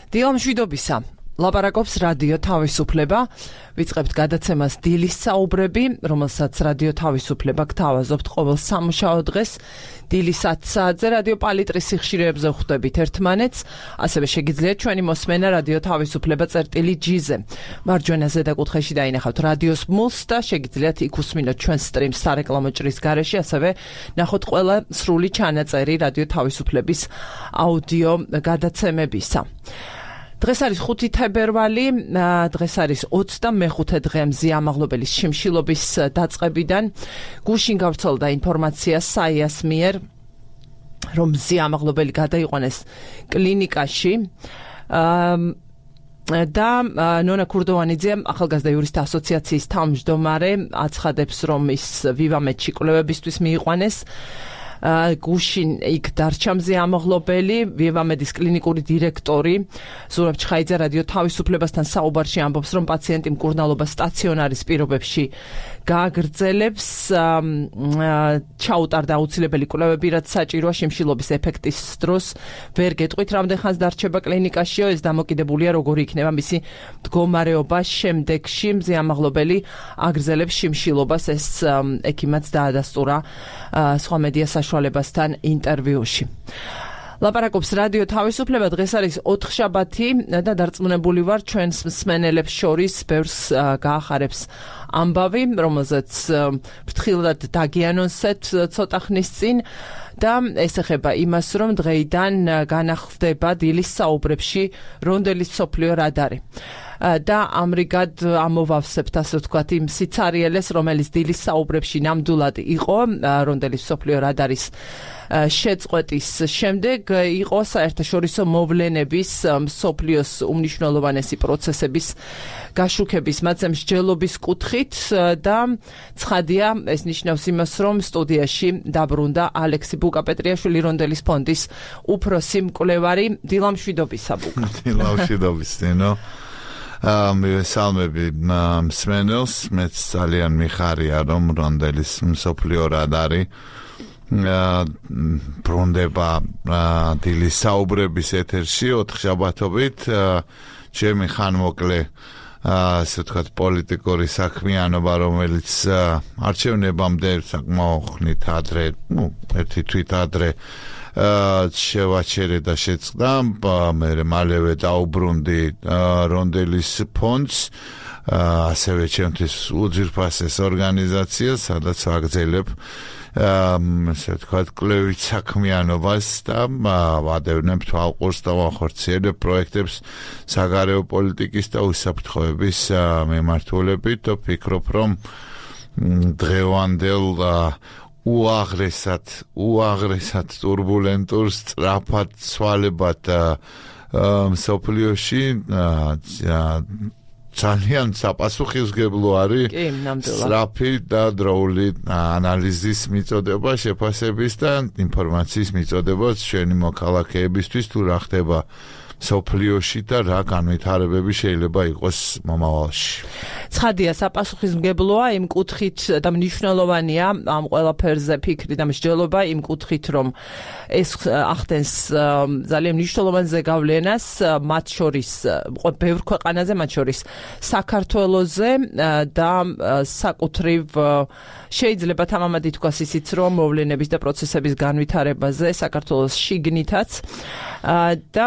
დილამშვიდობისა. ლაპარაკობს რადიო თავისუფლება. ვიწყებთ გადაცემას დილის საუბრები, რომელსაც რადიო თავისუფლება გთავაზობთ ყოველ სამუშაო დღეს. დილის 10 საათზე რადიო პალიტრის სიხშირეებზე ხვდებით ერთმანეთს. ასევე შეგიძლიათ ჩვენი მოსმენა რადიო თავისუფლება წერტილი-G-ზე. მარჯვენა ზედაკუთხეში დაინახავთ რადიოს მულს და შეგიძლიათ იქ უსმინოთ ჩვენს სტრიმს სარეკლამო ჭრის გარეშე, ასევე ნახოთ ყველა სრული ჩანაწერი რადიო თავისუფლების აუდიო გადაცემებისა. დღეს არის 5 თებერვალი, დღეს არის 25 დღე მზიამაღლობელის შიმშილობის დაწყებიდან. გუშინ გავრცელდა ინფორმაცია საიას მიერ, რომ მზიამაღლობელი გადაიყვანეს კლინიკაში. და ნონა ქურდოვანიძე, ახალგაზრდა იურისტთა ასოციაციის თავმჯდომარე, აცხადებს, რომ ის ვივამედში კვლევებისთვის მიიყვანეს. გუშინ იქ დარჩა მზიამაღლობელი, ვივამედის კლინიკური დირექტორი ზურაბ ჩხაიძე რადიო თავისუფლებასთან საუბარში ამბობს, რომ პაციენტი მკურნალობა სტაციონარის პირობებში გააგრძელებს. ჩაუტარდა აუცილებელი კვლევები, რაც საჭიროა შიმშილობის ეფექტის დროს. ვერ გეტყვით, რამდენ ხანს დარჩება კლინიკაშიო, ეს დამოკიდებულია, როგორი იქნება მისი მდგომარეობა შემდეგში. მზიამაღლობელი აგრძელებს შიმშილობას, ეს ექიმაც დაადასტურა სხვა მედია საშუალებასთან ინტერვიუში. ლაპარაკობს რადიო თავისუფლება, დღეს არის 4 შაბათი და დარწმუნებული ვარ, ჩვენს მსმენელებს შორის ბევრს გაახარებს ამბავი, რომელზეც ფრთხილად დაგიანონსეთ ცოტა ხნის წინ და ეს ეხება იმას, რომ დღეიდან განახლდება დილის საუბრებში რონდელის მსოფლიო რადარი. და ამრიგად ამოვავსებთ, ასე ვთქვათ, იმ სიცარიელეს, რომელიც დილის საუბრებში ნამდვილად იყო რონდელის მსოფლიო რადარის შეწყვეტის შემდეგ, იყო საერთაშორისო მოვლენების მსოფლიოს უმნიშვნელოვანესი პროცესების გაშუქების, მათზე მსჯელობის კუთხით და ცხადია, ეს ნიშნავს იმას, რომ სტუდიაში დაბრუნდა ალექსი ბუკა-პეტრიაშვილი, რონდელის ფონდის უფროსი მკვლევარი. დილამშვიდობისა, ბუკა. დილამშვიდობის, ნინო. მივესალმები მსმენელს, მეც ძალიან მიხარია, რომ რონდელის მსოფლიო რადარი ბრუნდება დილის საუბრების ეთერში 4 შაბათობით. ჩემი ხანმოკლე, ასე ვთქვათ, პოლიტიკური საქმიანობა, რომელიც არჩევნებამდე საკმაოდ ხნით ადრე, ერთი თვით ადრე შევაჩერე და შეწყდა, მე მალევე დაუბრუნდი რონდელის ფონდს, ასევე ჩემთვის უძვირფასეს ორგანიზაციას, სადაც ვაგრძელებ ასე ვთქვათ, კვლევით საქმიანობას და ვადევნებ თვალყურს და ვახორციელებ პროექტებს საგარეო პოლიტიკის და უსაფრთხოების მიმართულებით და ვფიქრობ, რომ დღევანდელ უაღრესად ტურბულენტურ, სწრაფად ცვალებად მსოფლიოში ძალიან საპასუხისმგებლო არის სწრაფი და დროული ანალიზის მიწოდება, შეფასების და ინფორმაციის მიწოდება ჩვენი მოქალაქეებისთვის, თუ რა ხდება მსოფლიოში და რა განვითარებები შეიძლება იყოს მომავალში. ცხადია, საპასუხისმგებლოა იმ კუთხით და მნიშვნელოვანია ამ ყველაფერზე ფიქრი და მსჯელობა იმ კუთხით, რომ ეს ახდენს ძალიან მნიშვნელოვან ზეგავლენას მათ შორის, ბევრ ქვეყანაზე, მათ შორის საქართველოზე და საკუთრივ შეიძლება თამამად ითქვას ისიც, რომ მოვლენების და პროცესების განვითარებაზე საქართველოს შიგნითაც და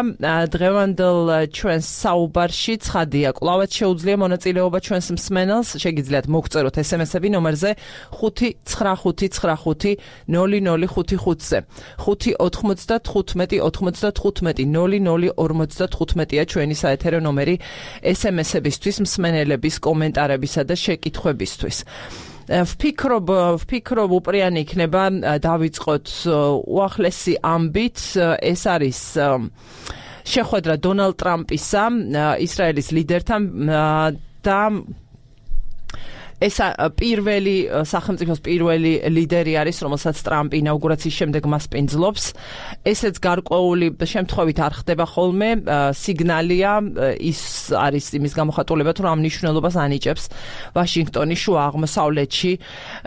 დღევანდელ ჩვენს საუბარში ცხადია, კვლავაც შეუძლია მონაწილეობა ჩვენს მსმენელს, შეგიძლიათ მოგწეროთ SMS-ები ნომერზე 595500555-ზე. 595-90-55-00-55-ია ჩვენი საეთერო ნომერი SMS-ებისთვის, მსმენელების კომენტარებისა და შეკითხვებისთვის. ვფიქრობ უპრიანი იქნება დავიწყოთ უახლესი ამბით, ეს არის შეხვედრა დონალდ ტრამპისა ისრაელის ლიდერთან და ეს პირველი სახელმწიფოს პირველი ლიდერი არის, რომელსაც ტრამპი ინაუგურაციის შემდეგ მას პინძლობს. ესეც გარკვეული შემთხვევით არ ხდება ხოლმე, სიგნალია, ის არის იმის გამოხატულება, თუ რა მნიშვნელობას ანიჭებს ვაშინგტონი შუა აღმოსავლეთში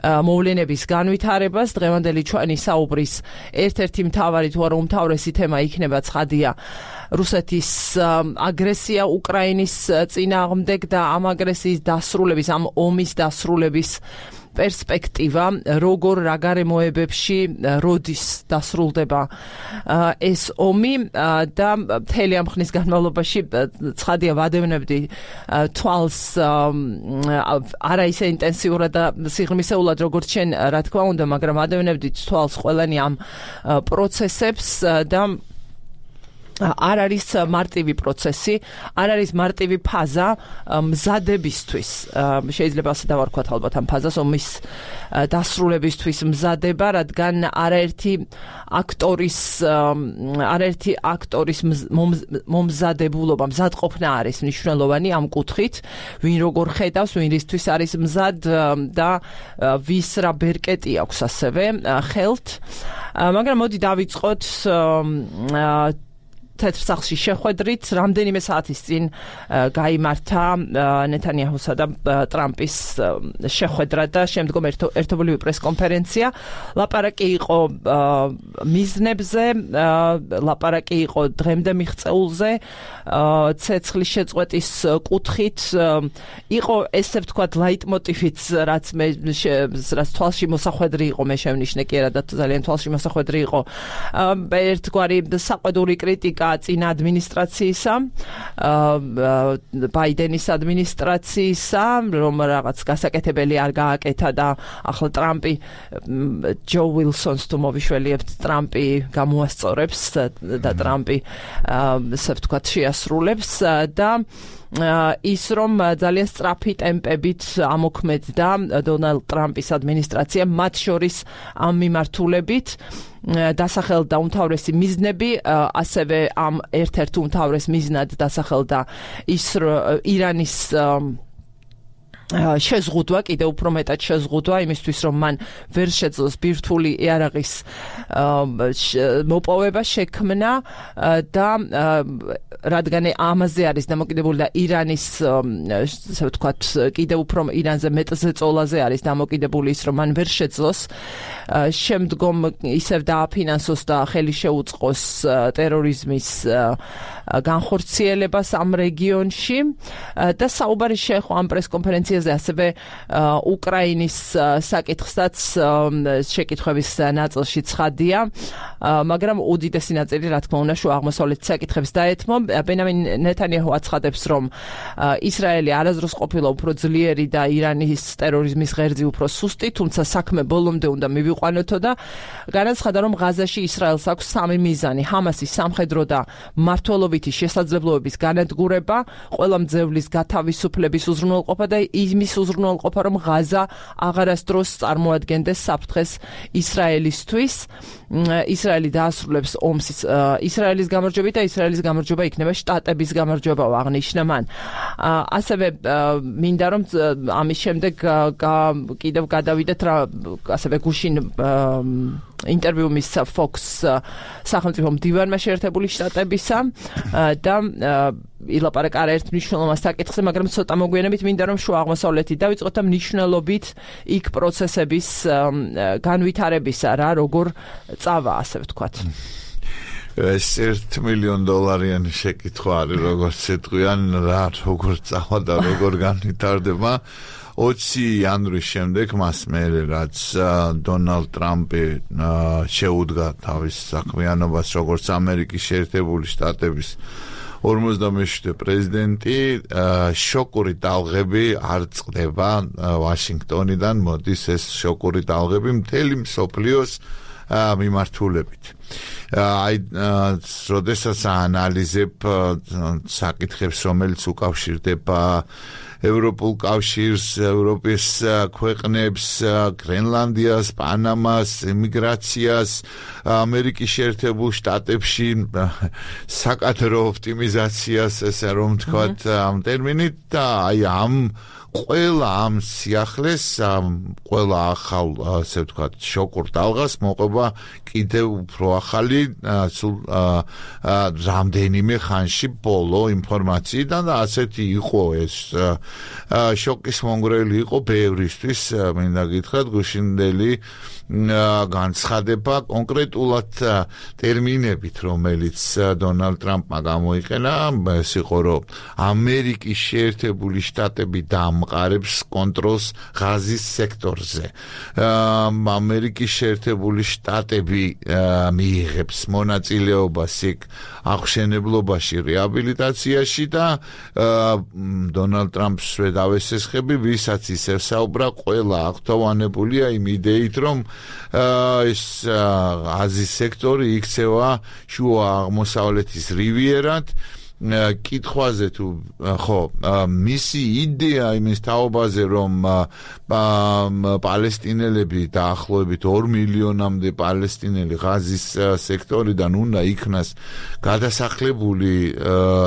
მოვლენების განვითარებას. დღევანდელი ჩვენი საუბრის ერთ-ერთი მთავარი თუ არა უმთავრესი თემა იქნება ცხადია რუსეთის აგრესია უკრაინის წინააღმდეგ და ამ აგრესიის დასრულების, ამ ომის დასრულების პერსპექტივა, როგორ რა გარემოებებში როდის დასრულდება ეს ომი და მთელი ამ ხნის განმავლობაში ცხადია ვადევნებდი თვალს არა ისე ინტენსიურად და სიღრმისეულად როგორც შენ რა თქმა უნდა, მაგრამ ვადევნებდი თვალს ყველანი ამ პროცესებს და არ არის მარტივი პროცესი, არ არის მარტივი ფაზა მზადებისთვის. შეიძლება ასე დავარქვათ ალბათ ამ ფაზას ომის დასრულებისთვის მზადება, რადგან არაერთი აქტორის მომზადებულობა, მზადყოფნა არის მნიშვნელოვანი ამ კუთხით, ვინ როგორ ხედავს, ვინ რისთვის არის მზად და ვის რა ბერკეტი აქვს ასევე ხელთ. მაგრამ მოდი დავიწყოთ თეთრ სახლში შეხვედრით, რამდენიმე საათის წინ გაიმართა ნეთანიაჰუსა და ტრამპის შეხვედრა და შემდგომ ერთობლივი პრესკონფერენცია. ლაპარაკი იყო მიზნებზე, ლაპარაკი იყო დღემდე მიღწეულზე, ცეცხლის შეწყვეტის კუთხით, იყო ესე ვთქვათ ლაიტმოტივიც, რაც თვალში მოსახვედრი იყო, მე შევნიშნე კი არა და ძალიან თვალში მოსახვედრი იყო ერთგვარი საყვედური კრიტიკა წინა ადმინისტრაციისა, ბაიდენის ადმინისტრაციისა, რომ რაღაც გასაკეთებელი არ გააკეთა და ახლა ტრამპი ჯო ვილსონს თუ მოვიშველიებთ, ტრამპი გამოასწორებს და ტრამპი ასე ვთქვათ შეასრულებს და ის რომ ძალიან სწრაფი ტემპებით ამოქმედდა დონალდ ტრამპის ადმინისტრაცია, მათ შორის ამ მიმართულებით დასახელდა უმთავრესი მიზნები, ასევე ამ ერთ-ერთ უმთავრეს მიზნად დასახელდა ის ირანის შეზღუდვა, კიდევ უფრო მეტად შეზღუდვა იმისთვის, რომ მან ვერ შეძლოს ბირთვული იარაღის მოპოვება, შექმნა და რადგან ამაზე არის დამოკიდებული და ირანის ასე ვთქვათ, კიდევ უფრო ირანზე მეტზე წოლაზე არის დამოკიდებული ის, რომ მან ვერ შეძლოს შემდგომ ისევ დააფინანსოს და ხელი შეუწყოს ტერორიზმის განხორციელებას ამ რეგიონში და საუბარი შეეხო ამ პრესკონფერენციაზე ასევე უკრაინის საკითხსაც შეკითხვების ნაწილში ცხადია, მაგრამ უდიდესი ნაწილი რა თქმა უნდა შუა აღმოსავლეთის საკითხებს დაეთმო. ბენიამინ ნეთანიაჰუ აცხადებს, რომ ისრაელი არასდროს ყოფილა უფრო ძლიერი და ირანის ტერორიზმის ღერძი უფრო სუსტი, თუმცა საქმე ბოლომდე უნდა მივიყვანოთო და განაცხადა, რომ ღაზაში ისრაელს აქვს სამი მიზანი: ჰამასის სამხედრო და მმართველობითი შესაძლებლობების განადგურება, ყველა მძევლის გათავისუფლების უზრუნველყოფა და იმის უზრუნველყოფა, რომ ღაზა აღარასდროს წარმოადგენდეს საფრთხეს ისრაელისთვის. ისრაელი დაასრულებს ომს ისრაელის გამარჯვებით და ისრაელის გამარჯვება იქნება შტატების გამარჯვება, აღნიშნა მან. ასევე მინდა რომ ამის შემდეგ კიდევ გადავიდეთ ასევე გუშინ ინტერვიუ მისცა Fox სახელმწიფო მდივანმა შეერთებული შტატებისა და ილაპარაკა არაერთ მნიშვნელოვან საკითხზე, მაგრამ ცოტა მოგვიანებით მინდა რომ შუა აღმოსავლეთით დავიწყოთ და მნიშვნელობით იქ პროცესების განვითარებისა, რა როგორ წავა, ასე ვთქვათ. ეს $1 მილიონ შეკითხვა არის, როგორც ეთქვიან, რა როგორ წავა და როგორ განვითარდება. 20 იანვრის შემდეგ მას მერე რაც დონალდ ტრამპი შეუდგა თავის საქმიანობას როგორც ამერიკის შეერთებული შტატების 47 პრეზიდენტი, შოკური ტალღები არ წყდება ვაშინგტონიდან, მოდის ეს შოკური ტალღები მთელი მსოფლიოს მიმართულებით. როდესაც აანალიზებ საკითხებს, რომელიც უკავშირდება ევროპულ კავშირს, ევროპის ქვეყნებს, გრენლანდიას, პანამას, ემიგრაციას, ამერიკის შეერთებულ შტატებში საკადრო ოპტიმიზაციას, ესე რომ ვთქვათ, ამ ტერმინით და აი ამ ყველა ამ სიახლეს, ყველა ახალ, ასე ვთქვათ, შოკურ ტალღას მოყვება კიდევ უფრო ახალი, სულ რამდენიმე ხანში ბოლო ინფორმაციიდან და ასეთი იყო ეს შოკის მონგრელი იყო ბევრისთვის, მინდა გითხრათ, გუშინდელი განცხადება კონკრეტულად ტერმინებით, რომელიც დონალდ ტრამპმა გამოიყენა, ეს იყო, რომ ამერიკის შეერთებული შტატები დაამყარებს კონტროლს ღაზის სექტორზე. ამერიკის შეერთებული შტატები მიიღებს მონაწილეობას იქ აღმშენებლობაში, რეაბილიტაციაში და დონალდ ტრამპს დავესესხები, ვისაც ისევ საუბრა, ყველა აღთოვანებულია იმ იდეით, რომ ეს ღაზის სექტორი იქცევა შუა აღმოსავლეთის რივიერად. კითხვაზე თუ ხო მისი იდეა იმის თაობაზე, რომ პალესტინელები დაახლოებით 2 მილიონამდე პალესტინელი ღაზის სექტორიდან უნდა იქნას გადასახლებული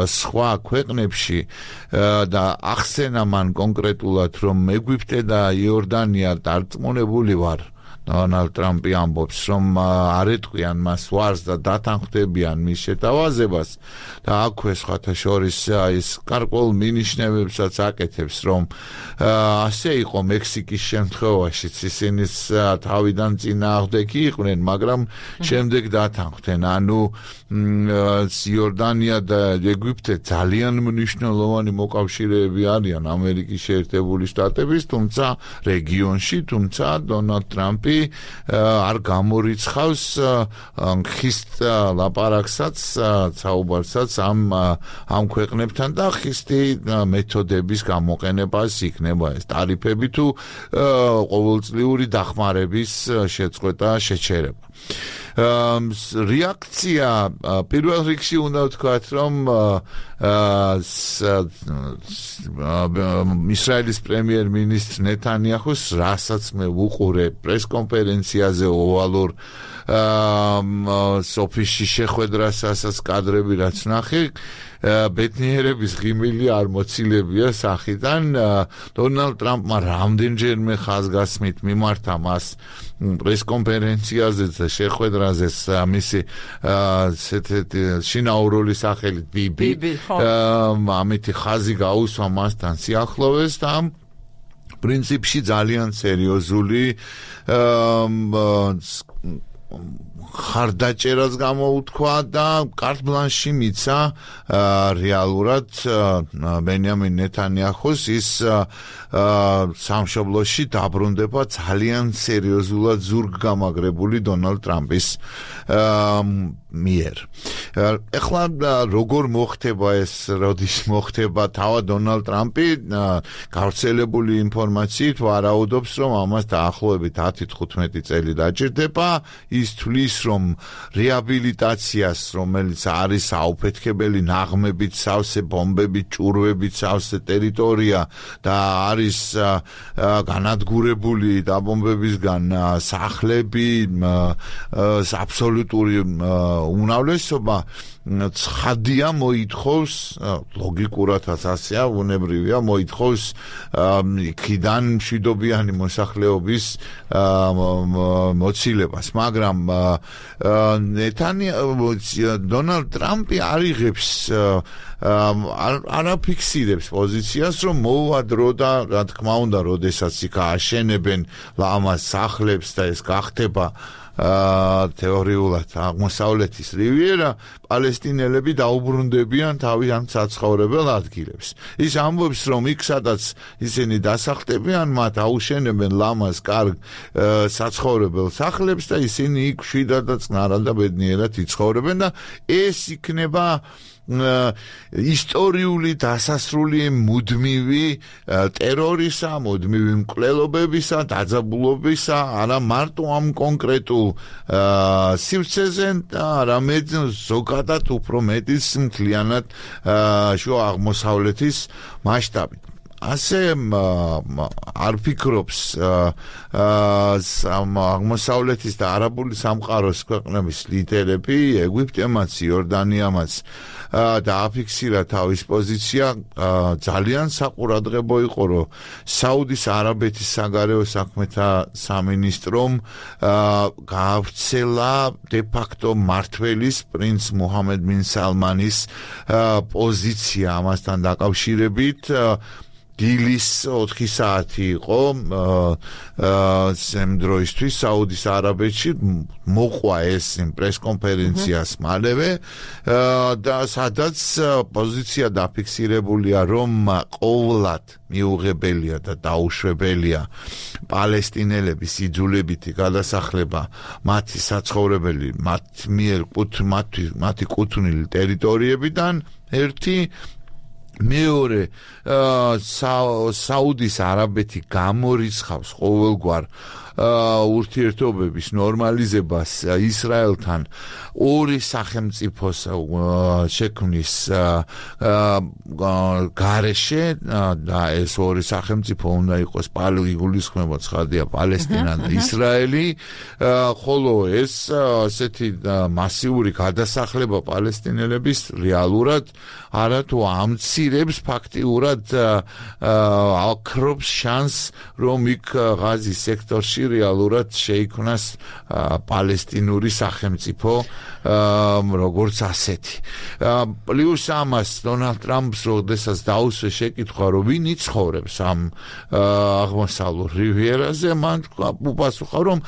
სხვა ქვეყნებში და ახსენა მან კონკრეტულად, რომ ეგვიპტე და იორდანია დარწმუნებული ვარ, დონალდ ტრამპი ამბობს, რომ არ ეტყვიან მას ვარს და დათანხმდებიან მის შეთავაზებას და აქვე სხვათა შორის ის გარკვეულ მინიშნებებსაც აკეთებს, რომ ასე იყო მექსიკის შემთხვევაშიც, ისინი თავიდან წინააღმდეგი იყვნენ, მაგრამ შემდეგ დათანხმდნენ. ანუ იორდანია და ეგვიპტე ძალიან მნიშვნელოვანი მოკავშირეები არიან ამერიკის შეერთებული შტატების, თუმცა რეგიონში, თუმცა დონალდ ტრამპი არ გამორიცხავს ხისტ ლაპარაკსაც, საუბარსაც ამ ქვეყნებთან და ხისტი მეთოდების გამოყენებას იქნება ეს ტარიფები თუ ყოველწლიური დახმარების შეწყვეტა, შეჩერება. რეაქცია პირველ რიგში უნდა ვთქვათ, რომ ისრაელის პრემიერ-მინისტრ ნეთანიაჰუს, რასაც მე ვუყურე პრესკონფერენციაზე ოვალურ ოფისში შეხვედრასაც კადრები რაც ვნახე, ბედნიერების ღიმილი არ მოცილებია სახიდან. დონალდ ტრამპმა რამდენჯერმე ხაზგასმით მიმართა მას პრესკონფერენციაზე და შეხვედრაზე მისი შინაურული სახელით ბიბი, ამითი ხაზი გაუსვა მასთან სიახლოვეს და პრინციპში ძალიან სერიოზული ხარდაჭერას გამოუთქვა და კარტ ბლანში მიცა რეალურად ბენიამინ ნეთანიაჰუს ის სამშობლოში დაბრუნდება ძალიან სერიოზულად ზურგგამაგრებული დონალდ ტრამპის მიერ. ეხლა როგორ მოხდება ეს, როდის მოხდება, თავად დონალდ ტრამპი გავრცელებული ინფორმაციით ვარაუდობს, რომ ამას დაახლოებით 10-15 წელი დაჭირდება. ის თვლის, რომ რეაბილიტაციას, რომელიც არის აუფეთქებელი ნაღმებით სავსე, ბომბებით, ჭურვებით სავსე ტერიტორია და არის განადგურებული დაბომბებისგან სახლები, აბსოლუტური უმრავლესობა ცხადია მოითხოვს, ლოგიკურადაც ასეა, უნებრივია, მოითხოვს იქიდან მშვიდობიანი მოსახლეობის მოცილებას, მაგრამ დონალდ ტრამპი არ იღებს, არ აფიქსირებს პოზიციას, რომ მოუვა დრო და რა თქმა უნდა, როდესაც იქ აშენებენ ლამაზ სახლებს და ეს გახდება თეორიულად აღმოსავლეთის რივიერა, პალესტინელები დაუბრუნდებიან თავიანთ საცხოვრებელ ადგილებს. ის ამბობს, რომ იქ სადაც ისინი დასახლდებიან, მათ აუშენებენ ლამაზ კარგ საცხოვრებელ სახლებს და ისინი იქ მშვიდად და წყნარად და ბედნიერად იცხოვრებენ და ეს იქნება ისტორიული დასასრული მუდმივი ტერორისა, მუდმივი მკვლელობებისა, დაძაბულობისა, არა მარტო ამ კონკრეტულ სივრცეზე, არამედ ზოგადად უფრო მეტის მთლიანად შუა აღმოსავლეთის მასშტაბით. ასე არ ფიქრობს აღმოსავლეთის და არაბული სამყაროს ქვეყნების ლიდერები, ეგვიპტემაც, იორდანიამაც და აფიქსირა თავის პოზიცია ძალიან საყურადღებო იყო, რომ საუდის არაბეთის საგარეო საქმეთა სამინისტრომ გაავრცელა de facto მმართველის პრინც მუჰამედ ბინ სალმანის პოზიცია ამასთან დაკავშირებით. დილის 4 საათი იყო სამ დროისთვის საუდის არაბეთში მოყვა ეს პრესკონფერენციას მალევე და სადაც პოზიცია დაფიქსირებულია, რომ ყოვლად მიუღებელია და დაუშვებელია პალესტინელების იძულებითი გადასახლება მათი საცხოვრებელი მათი კუთვნილი ტერიტორიებიდან. ერთი მეორე საუდის არაბეთი გამორიცხავს ყოველგვარ ურთიერთობების ნორმალიზებას ისრაელთან ორი სახელმწიფოს შექმნის გარეშე და ეს ორი სახელმწიფო უნდა იყოს იგულისხმება ცხადია პალესტინა და ისრაელი, ხოლო ეს ასეთი მასიური გადასახლება პალესტინელების რეალურად არათუ ამცირებს ფაქტიურად აქრობს შანსს, რომ იქ ღაზის სექტორში რეალურად შეიქმნას პალესტინური სახელმწიფო როგორც ასეთი. პლუს ამას დონალდ ტრამპს როდესაც დაუსვეს შეკითხვა, რომ ვინ იცხოვრებს ამ აღმოსავლურ რივიერაზე, მან უპასუხა, რომ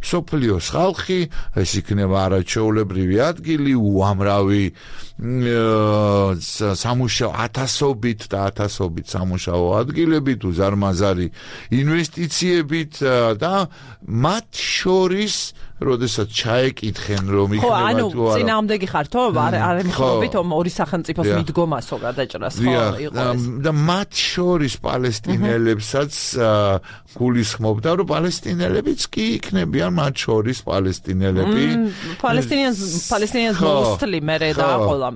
მსოფლიოს ხალხი, ეს იქნება არაჩვეულებრივი ადგილი, უამრავი სამუშაო ათასობით სამუშაო ადგილებით, უზარმაზარი ინვესტიციებით და მათ შორის როდესაც ჩაეკითხენ, რომ იქნება თუ არა. წინააღმდეგი ხართო? არ ემხრობით ორი სახელმწიფოს მიდგომასო გადაჭრას, იყო. და მათ შორის პალესტინელებსაც გულისხმობდა, რომ პალესტინელებიც კი იქნებიან მათ შორის პალესტინელები. პალესტინიანს მოსთლი მერე დააყოლა.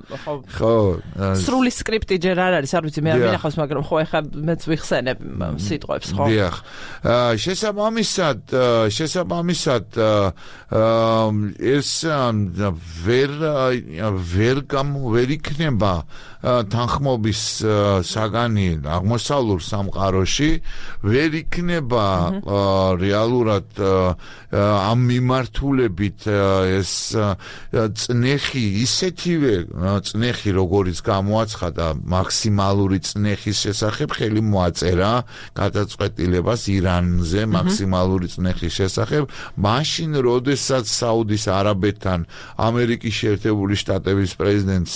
ხო. სრული სკრიპტი ჯერ არ არის, არ ვიცი, მე არ მინახავს, მაგრამ ხო ეხლა მეც ვიხსენებ სიტყვებს, ხო. დიახ. შესაბამისად ეს ვერ იქნება თანხმობის საგანი აღმოსავლურ სამყაროში, ვერ იქნება რეალურად ამ მიმართულებით ეს წნეხი ისეთივე წნეხი, როგორიც გამოაცხადა მაქსიმალური წნეხის შესახებ ხელი მოაწერა გადაწყვეტილებას ირანზე მაქსიმალური წნეხის შესახებ, მაშინ როდესაც საუდის არაბეთთან ამერიკის შეერთებული შტატების პრეზიდენტს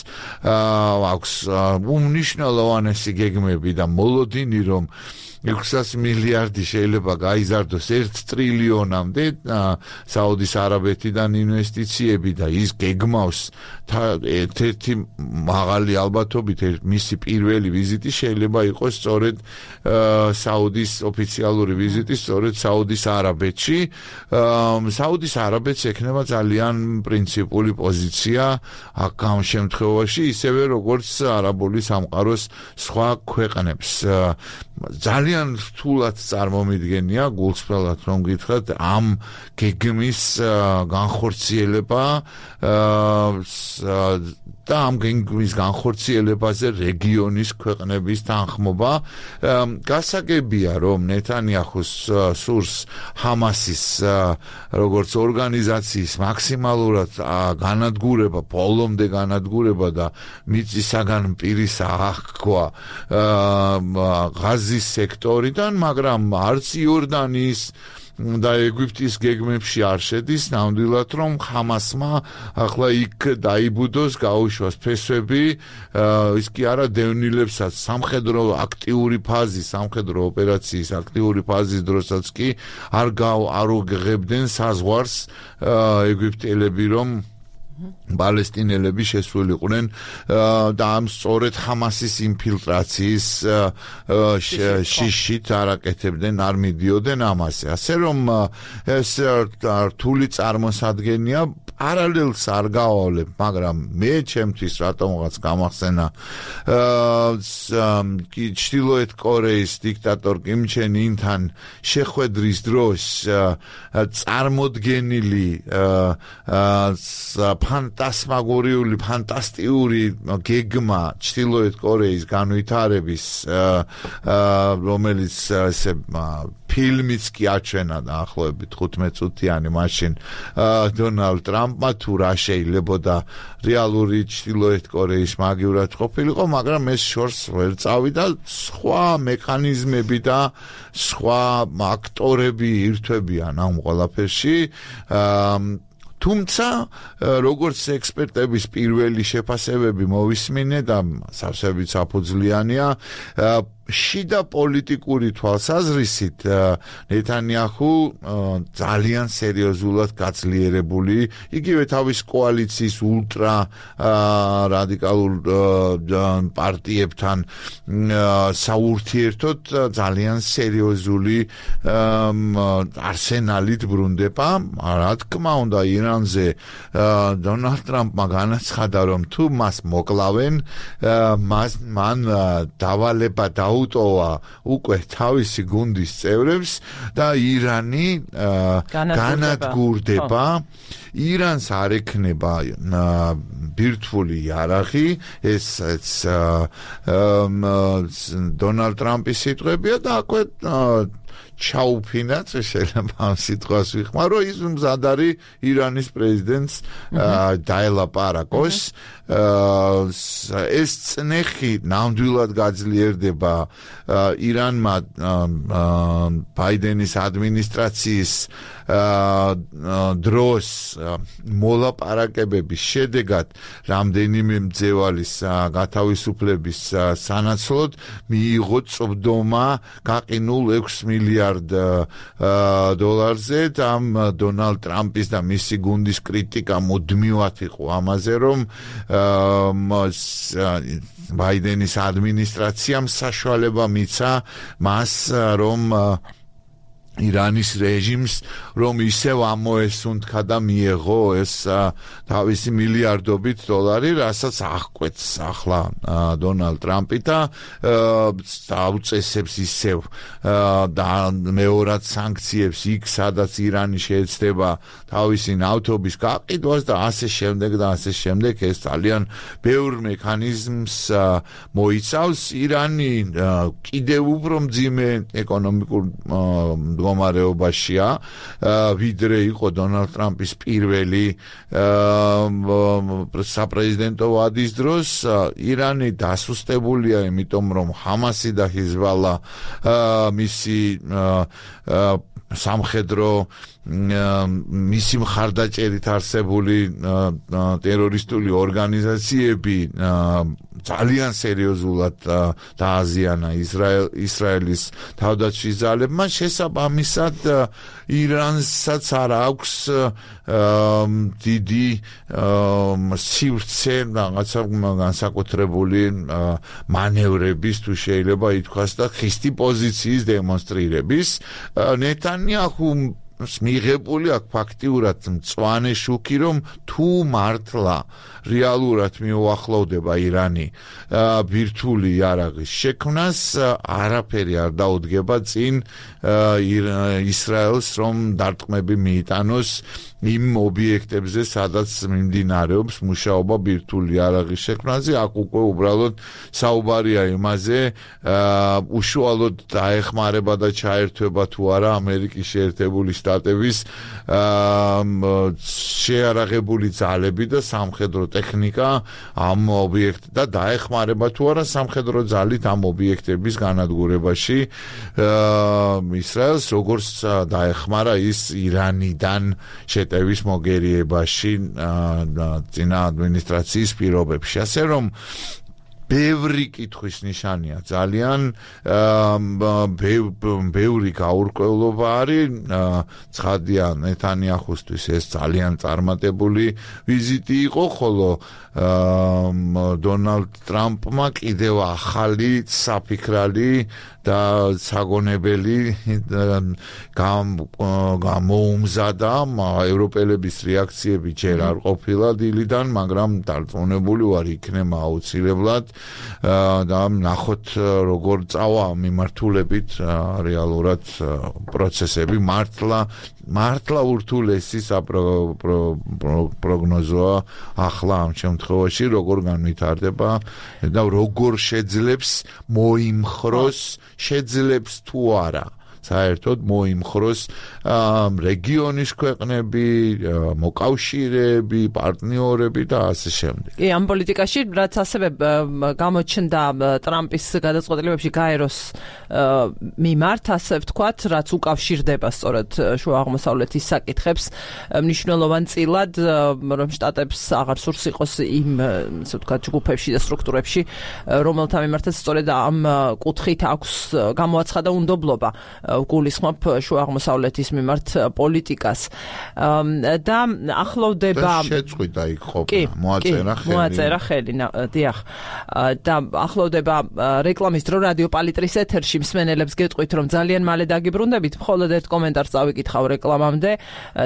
აქვს უმნიშვნელოვანესი გეგმები და მოლოდინი, რომ 600 მილიარდი შეიძლება გაიზარდოს 1 ტრილიონამდე საუდის არაბეთიდან ინვესტიციები და ის გეგმავს ერთ-ერთი მაღალი ალბათობით მისი პირველი ვიზიტი შეიძლება იყოს სწორედ საუდის ოფიციალური ვიზიტი სწორედ საუდის არაბეთში. საუდის არაბეთს ექნება ძალიან პრინციპული პოზიცია ამ შემთხვევაში, ისევე როგორც არაბული სამყაროს სხვა ქვეყნებს. ძალიან რთულად წარმომიდგენია გულწრფელად რომ გითხრათ ამ გეგმის განხორციელება და ამ გეგმის განხორციელებაზე რეგიონის ქვეყნების თანხმობა. გასაგებია, რომ ნეთანიაჰუს სურს ჰამასის როგორც ორგანიზაციის მაქსიმალურად განადგურება, ბოლომდე განადგურება და მიწისაგან პირის აღქვა ღაზის სექტორიდან, მაგრამ არც იორდანიის და ეგვიპტის გეგმებში არ შედის, ნამდვილად რომ ჰამასმა ახლა იქ დაიბუდოს, გაუშვას ფესვები, ის კი არა დევნილებსაც სამხედრო აქტიური ფაზის, სამხედრო ოპერაციის აქტიური ფაზის დროსაც კი არ უღებდნენ საზღვარს ეგვიპტელები, რომ პალესტინელები შესულიყვნენ და ამ სწორედ ჰამასის ინფილტრაციის შიშით არაკეთებდნენ, არ მიდიოდნენ ამაზე. ასე რომ ეს რთული წარმოსადგენია პარალელს არ გავავლებ, მაგრამ მე ჩემთვის რატომღაც გამახსენა ჩრდილოეთ კორეის დიქტატორ კიმ ჩენ ინთან შეხვედრის დროს წარმოდგენილი ფანტასტიკური გეგმა ჩრდილოეთ კორეის განვითარების რომელიც ესე ფილმიც კი აჩვენა დაახლოებით 15 წუთიანი მაშინ დონალდ ტრამპმა თუ რა შეიძლებოდა რეალური ჩრდილოეთ კორეის მაგივრად ყოფილიყო, მაგრამ ეს შორს ვერ წავიდა, სხვა მექანიზმები და სხვა აქტორები ირთვებიან ამ ყველაფერში. თუმცა როგორც ექსპერტების პირველი შეფასებები მოვისმინე და სავსებით საფუძვლიანია, შიდა პოლიტიკური თვალსაზრისით ნეთანიაჰუ ძალიან სერიოზულად გაძლიერებული, იგივე თავის კოალიციის ულტრა რადიკალურ პარტიებთან საურთიერთოდ ძალიან სერიოზული არსენალით ბრუნდება. რა თქმა უნდა, ირანზე დონალდ ტრამპმა განაცხადა, რომ თუ მას მოკლავენ, მან დავალება დაუტოვა უკვე თავისი გუნდის წევრებს და ირანი განადგურდება. ირანს არ ექნება ბირთვული იარაღი, ეს დონალდ ტრამპის სიტყვებია და აქვე ჩაუფინაც შეიძლება ამ სიტყვას ვიხმარო, ის მზად არის ირანის პრეზიდენტს დაელაპარაკოს. ეს წნეხი ნამდვილად გაძლიერდება ირანმა ბაიდენის ადმინისტრაციის დროს მოლაპარაკებების შედეგად რამდენიმე მძევალის გათავისუფლების სანაცვლოდ მიიღო წვდომა გაყინულ 6 მილიარდ დოლარზე და დონალდ ტრამპის და მისი გუნდის კრიტიკა მუდმივად იყო ამაზე, რომ ბაიდენის ადმინისტრაციამ საშუალება მიცა მას, რომ ირანის რეჟიმს რომ ისევ ამოესუნთქა და მიეღო ეს თავისი მილიარდობით დოლარი, რასაც აღკვეთს ახლა დონალდ ტრამპი და დაუწესებს ისევ და მეორად სანქციებს იქ, სადაც ირანი შეეცდება თავისი ნავთობის გაყიდვას და ასე შემდეგ. ეს ძალიან ბევრ მექანიზმს მოიცავს. ირანი კიდევ უფრო მძიმე ეკონომიკურ მდგომარეობაშია, ვიდრე იყო დონალდ ტრამპის პირველი საპრეზიდენტო ვადის დროს. ირანი დასუსტებულია, იმიტომ რომ ჰამასი და ჰიზბალა მისი სამხედრო მისი მხარდაჭერით არსებული ტერორისტული ორგანიზაციები ძალიან სერიოზულად დააზიანა ისრაელის თავდაცვის ძალებმა. შესაბამისად ირანსაც არ აქვს დიდი სივრცე რაღაცა განსაკუთრებული მანევრების, თუ შეიძლება ითქვას, და ხისტი პოზიციის დემონსტრირების. ნეთანიაჰუ მიღებული აქვს ფაქტიურად მწვანე შუქი, რომ თუ მართლა რეალურად მიუახლოვდება ირანი ბირთვული იარაღის შექმნას, არაფერი არ დაუდგება წინ ისრაელს, რომ დარტყმები მიიტანოს იმ ობიექტებზე, სადაც მიმდინარეობს მუშაობა ბირთვული იარაღის შექმნაზე. აქ უკვე უბრალოდ საუბარია იმაზე, უშუალოდ დაეხმარება და ჩაერთვება თუ არა ამერიკის შეერთებული შტატების შეარაღებული ძალები და სამხედრო ტექნიკა ამ ობიექტ და დაეხმარება თუ არა სამხედრო ძალით ამ ობიექტების განადგურებაში ისრაელს, როგორც დაეხმარა ის ირანიდან შეტევის მოგერიებაში წინა ადმინისტრაციის პირობებში. ასე რომ ბევრი კითხვის ნიშანია, ძალიან ბევრი გაურკვევლობა არის. ცხადია, ნეთანიაჰუსთვის ეს ძალიან წარმატებული ვიზიტი იყო, ხოლო დონალდ ტრამპმა კიდევ ახალი საფიქრალი და საგონებელი გამოუმზადა. ევროპელების რეაქციები ჯერ არ ყოფილა დილიდან, მაგრამ დარწმუნებული ვარ იქნება აუცილებლად და ნახოთ როგორ წავა მიმართულებით რეალურად პროცესები. მართლა ურთულესი პროგნოზოა ახლა ამ შემთხვევაში როგორ განვითარდება და როგორ შეძლებს მოიმხროს, შეძლებს თუ არა საერთოდ მოიმხროს რეგიონის ქვეყნები, მოკავშირეები, პარტნიორები და ასე შემდეგ. კი, ამ პოლიტიკაში რაც ასევე გამოჩნდა ტრამპის გადაწყვეტილებებში გაეროს მიმართ, ასე ვთქვათ, რაც უკავშირდება სწორედ შუა აღმოსავლეთის საკითხებს, მნიშვნელოვანწილად, რომ შტატებს აღარ სურს იყოს იმ, ასე ვთქვათ, ჯგუფებში და სტრუქტურებში, რომელთა მიმართაც სწორედ ამ კუთხით აქვს გამოაცხადა უნდობლობა. გულისხმობ შუა აღმოსავლეთის მიმართ პოლიტიკას და ახლოვდება შეწყვიტა იქ ყოფნა მოაწერა ხელი დიახ და ახლოვდება რეკლამის დრო რადიო პალიტრის ეთერში მსმენელებს გეტყვით რომ ძალიან მალე დაგიბრუნდებით მხოლოდ ერთ კომენტარს წავიკითხავ რეკლამამდე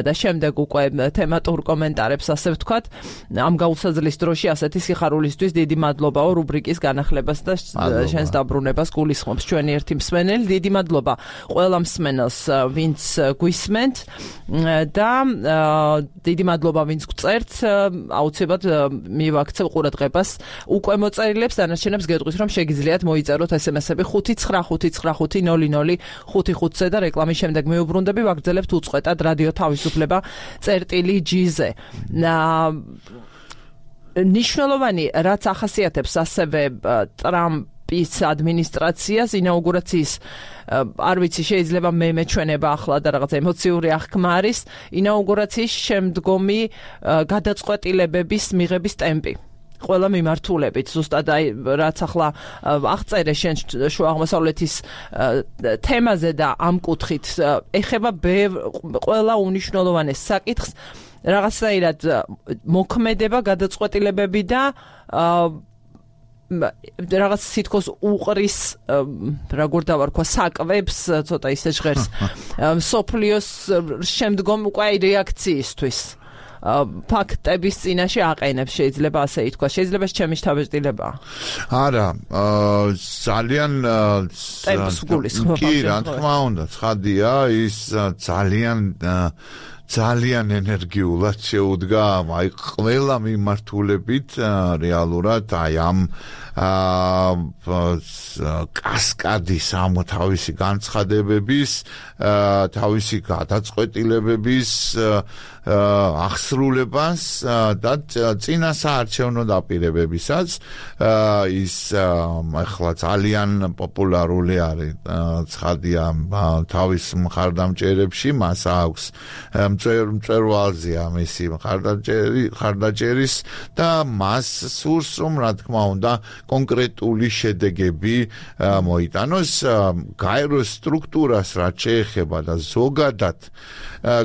და შემდეგ უკვე თემატურ კომენტარებს ასე ვთქვათ ამ გაუსაძლის დროში ასეთი სიხარულისთვის დიდი მადლობაო რუბრიკის განახლებას და შენს დაბრუნებას გულისხმობს ჩვენი ერთი მსმენელი დიდი მადლობა ყველა მსმენელს ვინც გვისმენთ და დიდი მადლობა ვინც გწერთ აუცილებლად მივაქცევ ყურადღებას უკვე მოწერილებს დანარჩენებს გეტყვით რომ შეგიძლიათ მოიწეროთ SMS-ები 595500555-ზე და რეკლამის შემდეგ მეუბრუნდები ვაგრძელებთ უწყვეტად რადიო თავისუფლება წერტილი-G-ზე ნიშნულოვანი რაც ახასიათებს ასევე ტრამპის ადმინისტრაციას ინაუგურაციის არ ვიცი შეიძლება მე მეჩვენება ახლა და რაღაც ემოციური აღქმა არის ინაუგურაციის შემდგომი გადაწყვეტილებების მიღების ტემპი ყველა მიმართულებით ზუსტად აი რაც ახლა აღწერე შენ შუა აღმოსავლეთის თემაზე და ამ კუთხით ეხება ყველა უნიშნულოვანეს საკითხს რაღაცნაირად მოქმედება გადაწყვეტილებები და რაღაც სითქოს უყრის როგორ დავარქვა საკვებს ცოტა ისე ჟღერს სოფლიოს შემდგომ უკვე რეაქციისთვის ფაქტების წინაშე აყენებს შეიძლება ასე ითქვა შეიძლება ჩემი შთაბეჭდილება არა ძალიან კი რა თქმა უნდა ცხადია ის ძალიან ენერგიულად შეუდგა აი ყველა მიმართულებით რეალურად აი ამ კასკადის ამ თავისი განცხადებების თავისი გადაწყვეტილებების აღსრულებას და წინა საარჩევნო დაპირებებისაც ის ახლა ძალიან პოპულარული არის ცხადია თავის მხარდამჭერებში მას აქვს მწვერვალზეა მისი მხარდაჭერის და მას სურს რომ რა თქმა უნდა კონკრეტული შედეგები მოიტანოს გაეროს სტრუქტურას რაც შეეხება და ზოგადად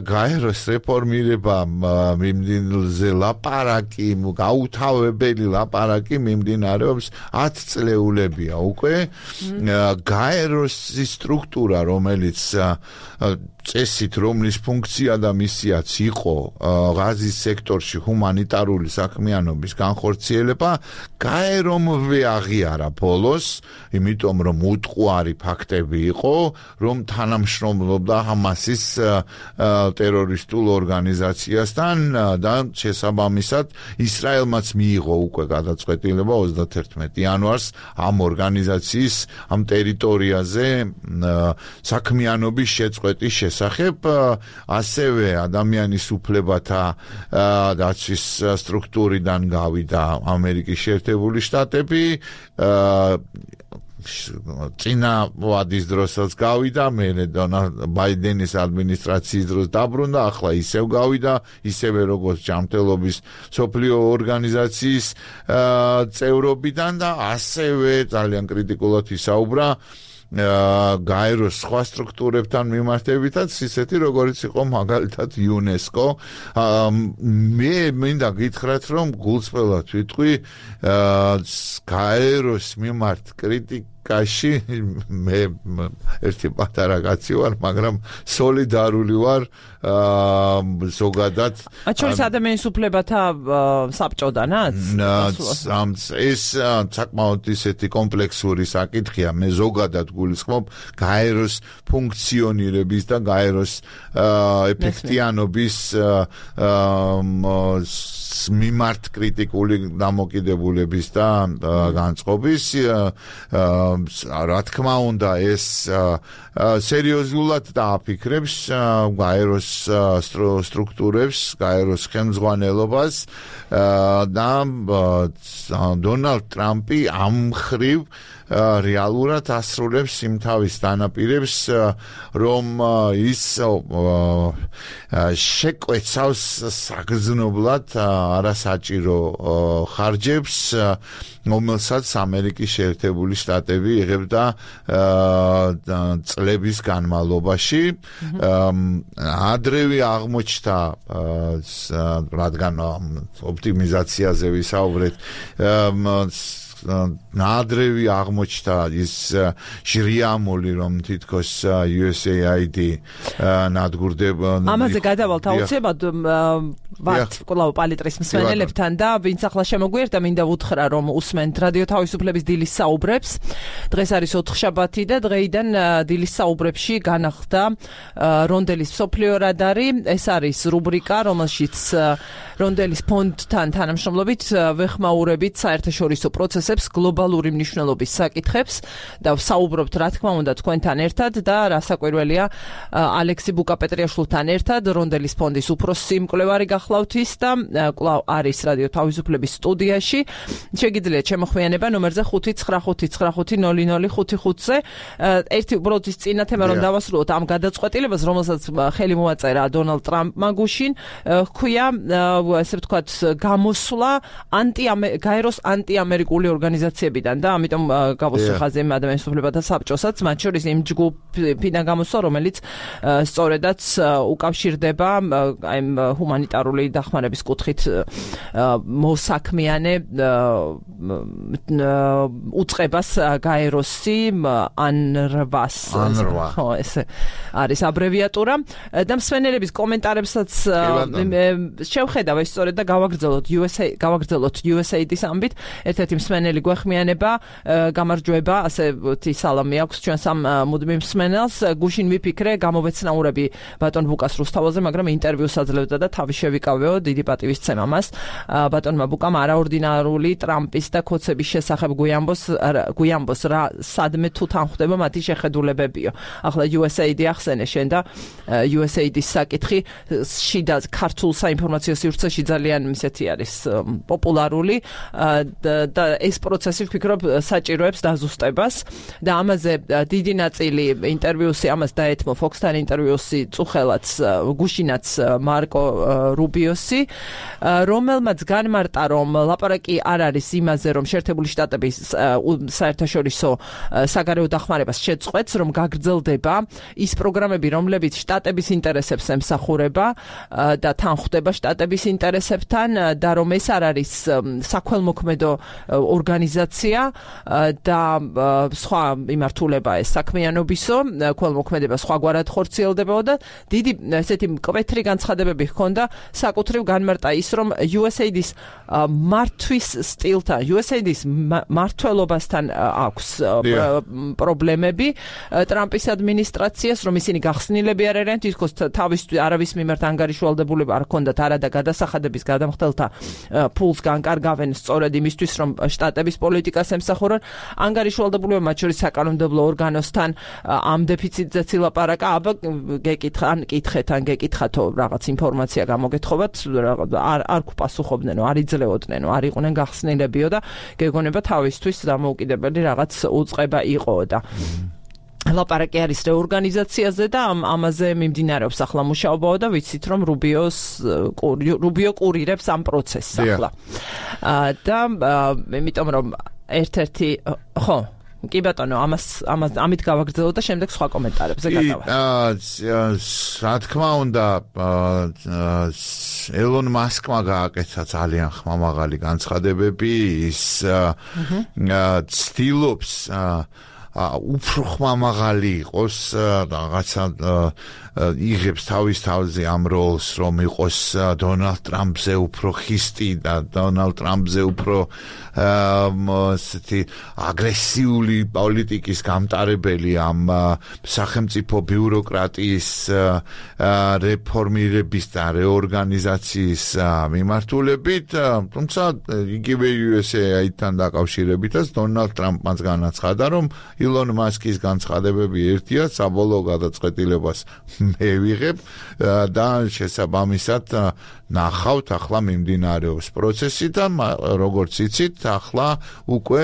გაეროს რეფორმირება მიმდინარე ლაპარაკი გაუთავებელი ლაპარაკი მიმდინარეობს 10 წლეულებია უკვე გაეროს სტრუქტურა რომელიც წესით რომლის ფუნქცია და მისიაც იყო ღაზის სექტორში ჰუმანიტარული საქმიანობის განხორციელება გაერომვე აღიარა ბოლოს იმიტომ რომ უტყუარი ფაქტები იყო რომ თანამშრომლობდა ჰამასის ტერორისტულ ორგანიზაციასთან და შესაბამისად ისრაელმაც მიიღო უკვე გადაწყვეტილება 31 იანვარს ამ ორგანიზაციის ამ ტერიტორიაზე საქმიანობის შეწყვეტის შესახებ ასევე ადამიანის უფლებათა დაცვის სტრუქტურიდან გავიდა ამერიკის შეერთებული შტატები წინა ვადის დროსაც გავიდა, მერე ბაიდენის ადმინისტრაციის დროს დაბრუნდა, ახლა ისევ გავიდა, ისევე როგორც ჯანმრთელობის მსოფლიო ორგანიზაციის წევრობიდან და ასევე ძალიან კრიტიკულად ისაუბრა გაეროს სხვა სტრუქტურებთან მიმართებითაც, ისეთი როგორც იყო მაგალითად იუნესკო. მე მინდა გითხრათ, რომ გულწრფელად ვიტყვი, გაეროს მიმართ კრიტიკაში მე ერთი პატარა კაცი ვარ, მაგრამ სოლიდარული ვარ ზოგადად. აჩვენის ადამიანის უფლებათა საბჭოდანაც? ეს საკმაოდ ისეთი კომპლექსური საკითხია, მე ზოგადად გულისხმობ გაეროს ფუნქციონირების და გაეროს ეფექტიანობის მიმართ კრიტიკული დამოკიდებულების და განწყობის. რა თქმა უნდა, ეს სერიოზულად დააფიქრებს გაეროს სტრუქტურებს, გაეროს ხელმძღვანელობას და დონალდ ტრამპი ამ მხრივ რეალურად ასრულებს იმ თავის დანაპირებს, რომ ის შეკვეცავს საგრძნობლად არასაჭირო ხარჯებს, რომელსაც ამერიკის შეერთებული შტატები იღებდა წლების განმავლობაში. ადრევე აღმოჩნდა, რადგან ოპტიმიზაციაზე ვისაუბრეთ, ნადრევი აღმოჩნდა ის ჟრიამული, რომ თითქოს USAID ნადგურდება. ამაზე გადავალთ აუცილებლად ვართ კვლავ პალიტრის მსმენელებთან და ვინც ახლა შემოგვიერთა, მინდა ვუთხრა, რომ უსმენთ რადიო თავისუფლების დილის საუბრებს. დღეს არის ოთხშაბათი და დღეიდან დილის საუბრებში განახლდა რონდელის მსოფლიო რადარი. ეს არის რუბრიკა, რომელშიც რონდელის ფონდთან თანამშრომლობით ვეხმაურებით საერთაშორისო პროცესებს, გლობალური მნიშვნელობის საკითხებს და ვსაუბრობთ, რა თქმა უნდა, თქვენთან ერთად და რასაკვირველია, ალექსი ბუკაპეტრიაშვილთან ერთად, რონდელის ფონდის უფროსი მკვლევარი გახლავთ ის და კვლავ არის რადიო თავისუფლების სტუდიაში. შეგიძლიათ შემოხვიანება ნომერზე 599500555-ზე. ერთი უბრალოდ ის წინა თემა რომ დავასრულოთ ამ გადაწყვეტილებას, რომელსაც ხელი მოაწერა დონალდ ტრამპმა გუშინ, ჰქვია ესე ვთქვათ გამოსვლა გაეროს ანტიამერიკული ორგანიზაციებიდან და ამიტომ გავუსვა ხაზი ადამიანის უფლებათა საბჭოსაც, მათ შორის იმ ჯგუფიდან გამოსვლა, რომელიც სწორედაც უკავშირდება აი ჰუმანიტარული დახმარების კუთხით მოსაქმიანე უწყებას გაეროსი ანრვას. ხო, ეს არის აბრევიატურა და მსმენელების კომენტარებსაც შევხედავ ეს სწორედ და გავაგრძელოთ USAID-ის ამბით. ერთ-ერთი მსმენელი გვეხმიანება, გამარჯვება, ასეთი სალამი აქვს ჩვენს ამ მუდმივ მსმენელს. გუშინ ვიფიქრე, გამოვეცნაურები ბატონ ბუკას რუსთავაზე, მაგრამ ინტერვიუს აძლევდა და თავი შევიკავეო, დიდი პატივისცემა მას. ბატონმა ბუკამ არაორდინარული ტრამპის და ქოცების შესახებ გვიამბოს რა სადმე თუ თან ხვდება მათი შეხედულებებიო. ახლა USAID ახსენე შენ და USAID-ის საკითხი შიდა ქართულ საინფორმაციო სივრცეში ძალიან ისეთი არის პოპულარული და ეს პროცესი ვფიქრობ საჭიროებს დაზუსტებას და ამაზე დიდი ნაწილი ინტერვიუსი ამას დაეთმო Fox-თან ინტერვიუსი წუხელაც გუშინაც მარკო რუბიოსი, რომელმაც განმარტა, რომ ლაპარაკი არ არის იმაზე, რომ შეერთებული შტატების საერთაშორისო საგარეო დახმარებას შეწყვეტს, რომ გაგრძელდება ის პროგრამები, რომლებიც შტატების ინტერესებს ემსახურება და თან ხვდება შტატების ინტერესებთან და რომ ეს არ არის საქველმოქმედო ორგანიზაცია და სხვა იმართულება ეს საქმიანობისო, ქველმოქმედება სხვაგვარად ხორციელდებოდა და დიდი ესეთი მკვეთრი განცხადებები ჰქონდა. საკუთრივ განმარტა ის, რომ USAID-ის მართვის სტილთან, USAID-ის მართლობასთან აქვს პრობლემები ტრამპის ადმინისტრაციას, რომ ისინი გახსნილები არ არიან, თითქოს თავისთვის არავის მიმართ ანგარიშვალდებულება არ ჰქონდათ, არა და გადასახადების გადამხდელთა ფულს განკარგავენ სწორედ იმისთვის, რომ შტატების პოლიტიკას ემსახურონ. ანგარიშვალდებულება მათ შორის საკანონმდებლო ორგანოსთან ამ დეფიციტზე ცილაპარაკა. აბა გეკითხათო რაღაც ინფორმაცია გამოგეთხოვათ, არ გპასუხობდნენ, არ იძლეოდნენ, არ იყვნენ გახსნილებიო და გეგონება თავისთვის დამოუკიდებელი რაღაც უწყება იყო და ლაპარაკი არის რეორგანიზაციაზე და ამაზე მიმდინარეობს ახლა მუშაობაო და ვიცით რომ რუბიო კურირებს ამ პროცესს ახლა. და იმიტომ რომ ერთ-ერთი ხო კი ბატონო ამით გავაგრძელო და შემდეგ სხვა კომენტარებზე გადავა. რა თქმა უნდა ელონ მასკმა გააკეთა ძალიან ხმამაღალი განცხადებები ის ცდილობს უფრო ხმამაღალი იყოს რაღაცა იღებს თავის თავზე ამ როლს რომ იყოს დონალდ ტრამპზე უფრო ხისტი და დონალდ ტრამპზე უფრო აგრესიული პოლიტიკის გამტარებელი ამ სახელმწიფო ბიუროკრატიის რეფორმირების და რეორგანიზაციის მიმართულებით თუმცა იგივე USA-თან დაკავშირებითაც დონალდ ტრამპმაც განაცხადა რომ ილონ მასკის განცხადებები ერთია საბოლოო გადაწყვეტილებას მე ვიღებ და შესაბამისად ნახავთ ახლა მიმდინარეობს პროცესი და როგორც იცით ახლა უკვე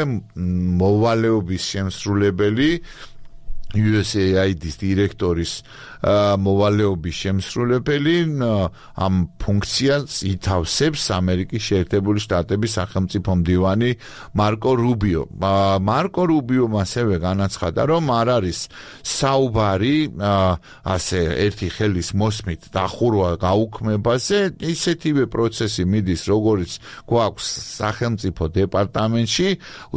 მოვალეობის შემსრულებელი USAID-ის დირექტორის მოვალეობის შემსრულებელი ამ ფუნქციას ითავსებს ამერიკის შეერთებული შტატების სახელმწიფო მდივანი მარკო რუბიო. მარკო რუბიომ ასევე განაცხადა, რომ არ არის საუბარი ასე ერთი ხელის მოსმით დახურვა გაუქმებაზე, ისეთივე პროცესი მიდის, როგორც გვაქვს სახელმწიფო დეპარტამენტში,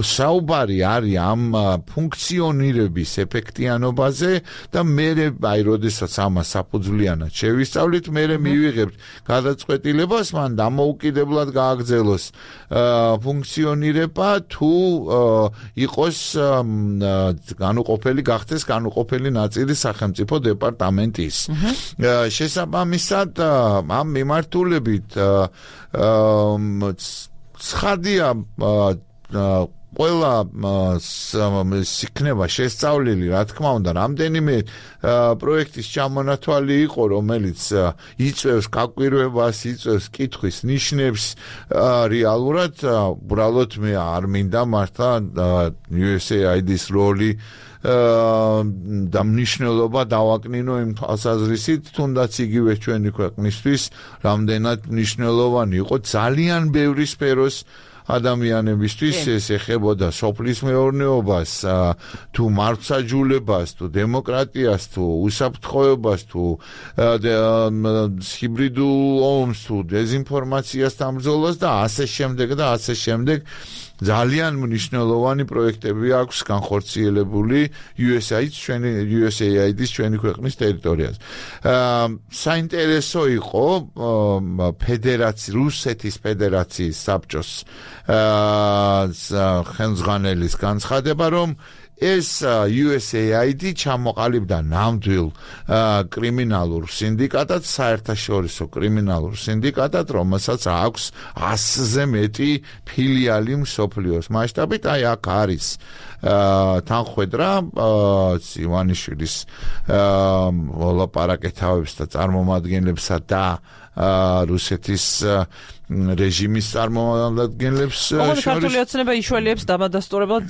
საუბარი არის ამ ფუნქციონირების ეფექტიანობაზე და მე აი როდესაც ამას საფუძვლიანად შევისწავლით, მე მივიღებთ გადაწყვეტილებას, მან დამოუკიდებლად გააგრძელოს ფუნქციონირება თუ იყოს გახდეს განუყოფელი ნაწილი სახელმწიფო დეპარტამენტის. შესაბამისად ამ მიმართულებით ცხადია ყველა იქნება შესწავლილი, რა თქმა უნდა, რამდენიმე პროექტის ჩამონათვალი იყო, რომელიც იწვევს გაკვირვებას, იწვევს კითხვის ნიშნებს, რეალურად უბრალოდ მე არ მინდა მართლა USAID-ის როლი და მნიშვნელობა დავაკნინო იმ თვალსაზრისით, თუნდაც იგივე ჩვენი ქვეყნისთვის რამდენად მნიშვნელოვანი იყო ძალიან ბევრი სფეროს ადამიანებისთვის ეს ეხებოდა სოფლის მეურნეობას, თუ მართლმსაჯულებას, თუ დემოკრატიას, თუ უსაფრთხოებას, თუ ჰიბრიდულ ომს, თუ დეზინფორმაციასთან ბრძოლას და ასე შემდეგ. ძალიან მნიშვნელოვანი პროექტები აქვს განხორციელებული USAID-ის ჩვენი ქვეყნის ტერიტორიაზე. საინტერესო იყო რუსეთის ფედერაციის საბჭოს ხელმძღვანელის განცხადება, რომ ეს USAID ჩამოყალიბდა ნამდვილ კრიმინალურ სინდიკატად, საერთაშორისო კრიმინალურ სინდიკატად, რომელსაც აქვს 100-ზე მეტი ფილიალი მსოფლიოს მასშტაბით. აი აქ არის თანხwebdriver ივანიშვილის ლაპარაკეთავებს და წარმომადგენლებსა და რუსეთის რეჟიმის წარმომადგენლებს შორის ქართული ოცნება იშველიებს დამადასტურებლად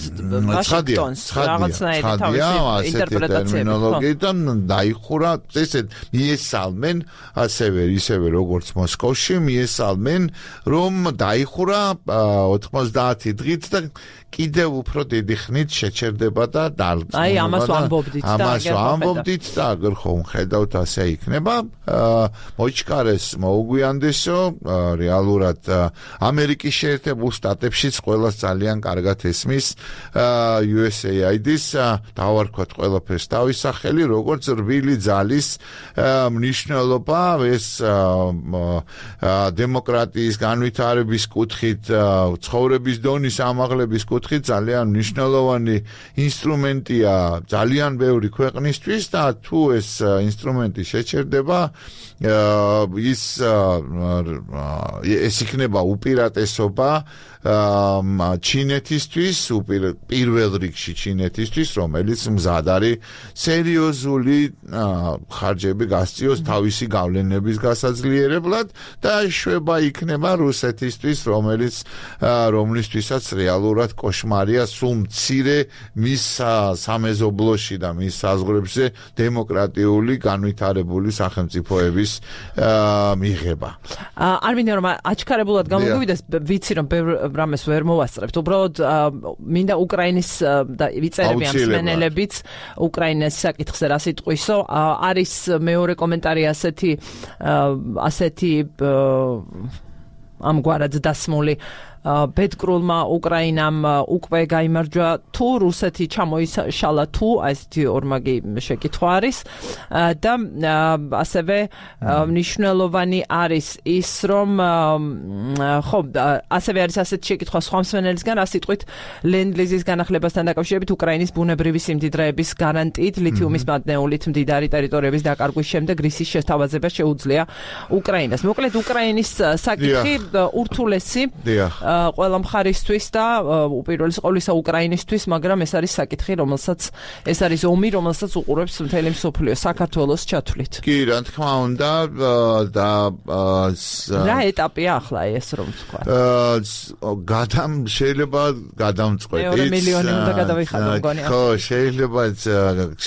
ვაშინგტონს რაღაცნაირი თავისი ინტერპრეტაციებით დაიხურა ესეთ მიესალმენ ისევე როგორც მოსკოვში მიესალმენ რომ დაიხურა 90 დღით და კიდევ უფრო დიდი ხნით შეჩერდება და აი ამას ამბობდით და აგერ ხომ ხედავთ ასე იქნება მოიჩქარეს მოუგვიანდესო რეალურად ამერიკის შეერთებულ შტატებშიც ყველას ძალიან კარგად ესმის USAID-ის დავარქვათ ყველაფერს თავის სახელი როგორც რბილი ძალის მნიშვნელობა ეს დემოკრატიის განვითარების კუთხით ცხოვრების დონის ამაღლების კუთხით ძალიან მნიშვნელოვანი ინსტრუმენტია ძალიან ბევრი ქვეყნისთვის და თუ ეს ინსტრუმენტი შეჩერდება ეს იქნება უპირატესობა ჩინეთისთვის, პირველ რიგში ჩინეთისთვის, რომელიც მზად არის სერიოზული ხარჯები გასწიოს თავისი გავლენების გასაძლიერებლად და შვება იქნება რუსეთისთვის, რომლისთვისაც რეალურად კოშმარია სულ მცირე მის სამეზობლოში და მის საზღვრებზე დემოკრატიული განვითარებული სახელმწიფოების მიღება. არ მინდა რომ აჩქარებულად გამოგვივიდეს, ვიცი რომ ბევრ რამეს ვერ მოვასწრებთ. უბრალოდ მინდა უკრაინის და ვიწერები ამ მსმენელებიც უკრაინის საკითხზე რა სიტყვისო. არის მეორე კომენტარი ასეთი ამგვარად დასმული ბედკრულმა უკრაინამ უკვე გაიმარჯვა თუ რუსეთი ჩამოიშალა თუ ასეთი ორმაგი შეკითხვა არის და ასევე მნიშვნელოვანი არის ის რომ ხო ასევე არის ასეთი შეკითხვა სხვა მსმენელისგან რა სიტყვით ლენდ-ლიზის განახლებასთან დაკავშირებით უკრაინის ბუნებრივი სიმდიდრეების გარანტიით ლითიუმის მადნეულით მდიდარი ტერიტორიების დაკარგვის შემდეგ რისის შეთავაზება შეუძლია უკრაინას. მოკლედ უკრაინის საკითხი ურთულესი ყველა მხარისთვის და უპირველეს ყოვლისა უკრაინისთვის, მაგრამ ეს არის საკითხი, ეს არის ომი, რომელსაც უყურებს მთელი მსოფლიო საქართველოს ჩათვლით. კი, რა თქმა უნდა და რა ეტაპია ახლა ეს რომ თქვა? შეიძლება გადამწყვეტიც. 2 მილიონი უნდა გადავიხადო მგონი. ხო,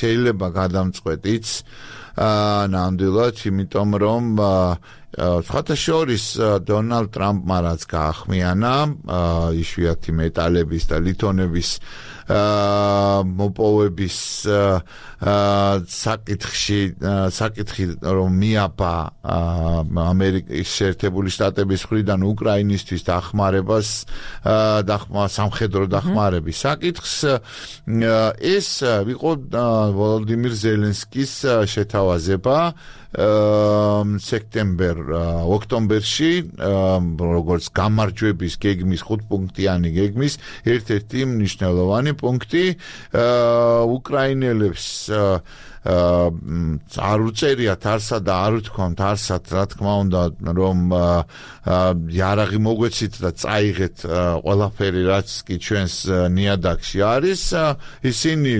შეიძლება გადამწყვეტიც. ნამდვილად, იმიტომ რომ სხვათა შორის დონალდ ტრამპმა რაც გაახმიანა იშვიათი მეტალების და ლითონების მოპოვების საკითხი რომ მიაბა ამერიკის შეერთებული შტატების მხრიდან უკრაინისთვის დახმარებას სამხედრო დახმარების საკითხს ეს იყო ვოლოდიმირ ზელენსკის შეთავაზება ოქტომბერში როგორც გამარჯვების გეგმის 5-პუნქტიანი გეგმის ერთ-ერთი მნიშვნელოვანი პუნქტი უკრაინელებს არ უწერიათ არსად და არ უთქვამთ არსად რა თქმა უნდა რომ იარაღი მოგვეცით და წაიღეთ ყველაფერი რაც კი ჩვენს ნიადაგში არის ისინი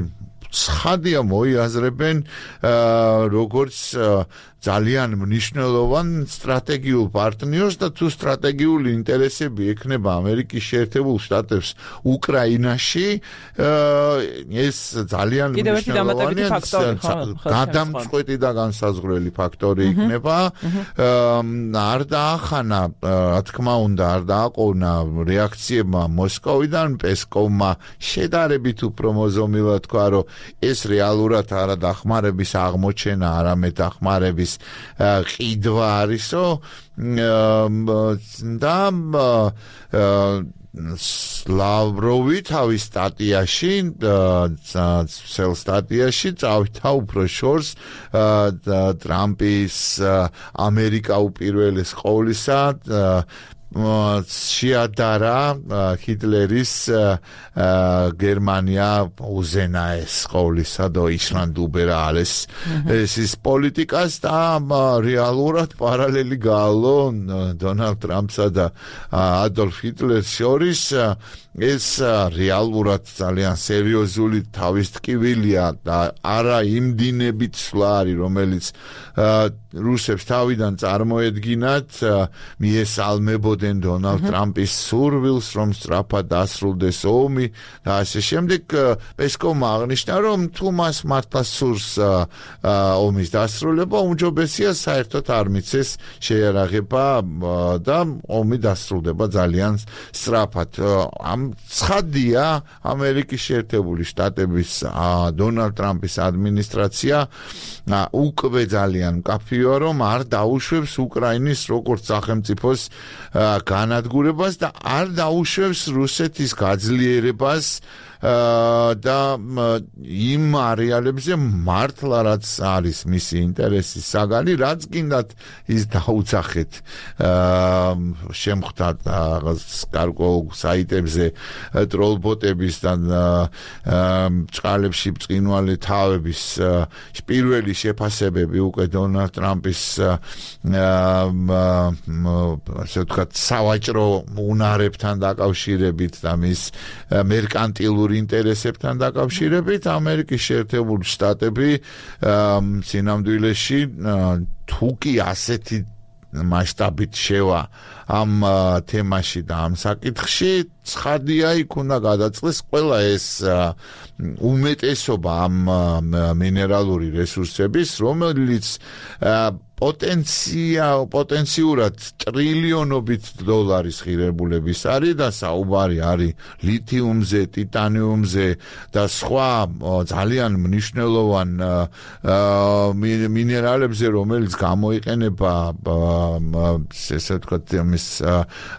ცხადია მოიაზრებენ როგორც ძალიან მნიშვნელოვან სტრატეგიულ პარტნიორს და თუ სტრატეგიული ინტერესები ექნება ამერიკის შეერთებულ შტატებს უკრაინაში ეს ძალიან მნიშვნელოვანი გადამწყვეტი და განსაზღვრელი ფაქტორი იქნება არ დაახანა რა თქმა უნდა არ დააყოვნა რეაქციებმა მოსკოვიდან პესკოვმა შედარებით უფრო მოზომილად თქვა რომ ეს რეალურად არა დახმარების აღმოჩენა არამედ დახმარების ყიდვა არისო და ლავროვი თავის სტატიაში წავითა უფრო შორს ტრამპის ამერიკა უპირველეს ყოვლისა შეადარა ჰიტლერის გერმანია უზენაეს ყოვლისა და ისლანდ უბერა alles ეს პოლიტიკას და რეალურად პარალელი გაალო დონალდ ტრამპსა და ადოლფ ჰიტლერს შორის ეს რეალურად ძალიან სერიოზული თავისტკივილია და არა იმდინებით სვლა არის რომელიც რუსებს თავიდან წარმოედგინათ მიესალმებოდნენ დონალდ ტრამპის სურვილს რომ სწრაფად დასრულდეს ომი და ასე შემდეგ პესკოვმა აღნიშნა რომ თუ მას მართლა სურს ომის დასრულება უმჯობესია საერთოდ არ მიცეს შეიარაღება და ომი დასრულდება ძალიან სწრაფად ამ ცხადია ამერიკის შეერთებული შტატების დონალდ ტრამპის ადმინისტრაცია უკვე ძალიან მკაფიოა რომ არ დაუშვებს უკრაინის როგორც სახელმწიფოს განადგურებას და არ დაუშვებს რუსეთის გაძლიერებას და იმ არეალებზე მართლა რაც არის მისი ინტერესი საგანი, რაც გინდათ ის დაუძახეთ შემხვდათ გარკვეულ საიტებზე ტროლბოტების და წყალებში ბრწყინვალე თავების პირველი შეფასებები უკვე დონალდ ტრამპის ასე ვთქვათ სავაჭრო უნარებთან დაკავშირებით და მის მერკანტილურ ინტერესებთან დაკავშირებით ამერიკის შეერთებული შტატები სინამდვილეში თუ კი ასეთი მასშტაბით შევა ამ თემაში და ამ საკითხში ცხადია იქ უნდა გადაწყდეს ყველა ეს უმეტესობა ამ მინერალური რესურსების რომელიც პოტენციურად ტრილიონობით დოლარის ღირებულების არის და საუბარი არის ლითიუმზე, ტიტანიუმზე და სხვა ძალიან მნიშვნელოვან მინერალებზე, რომელიც გამოიყენება ესე ვთქვათ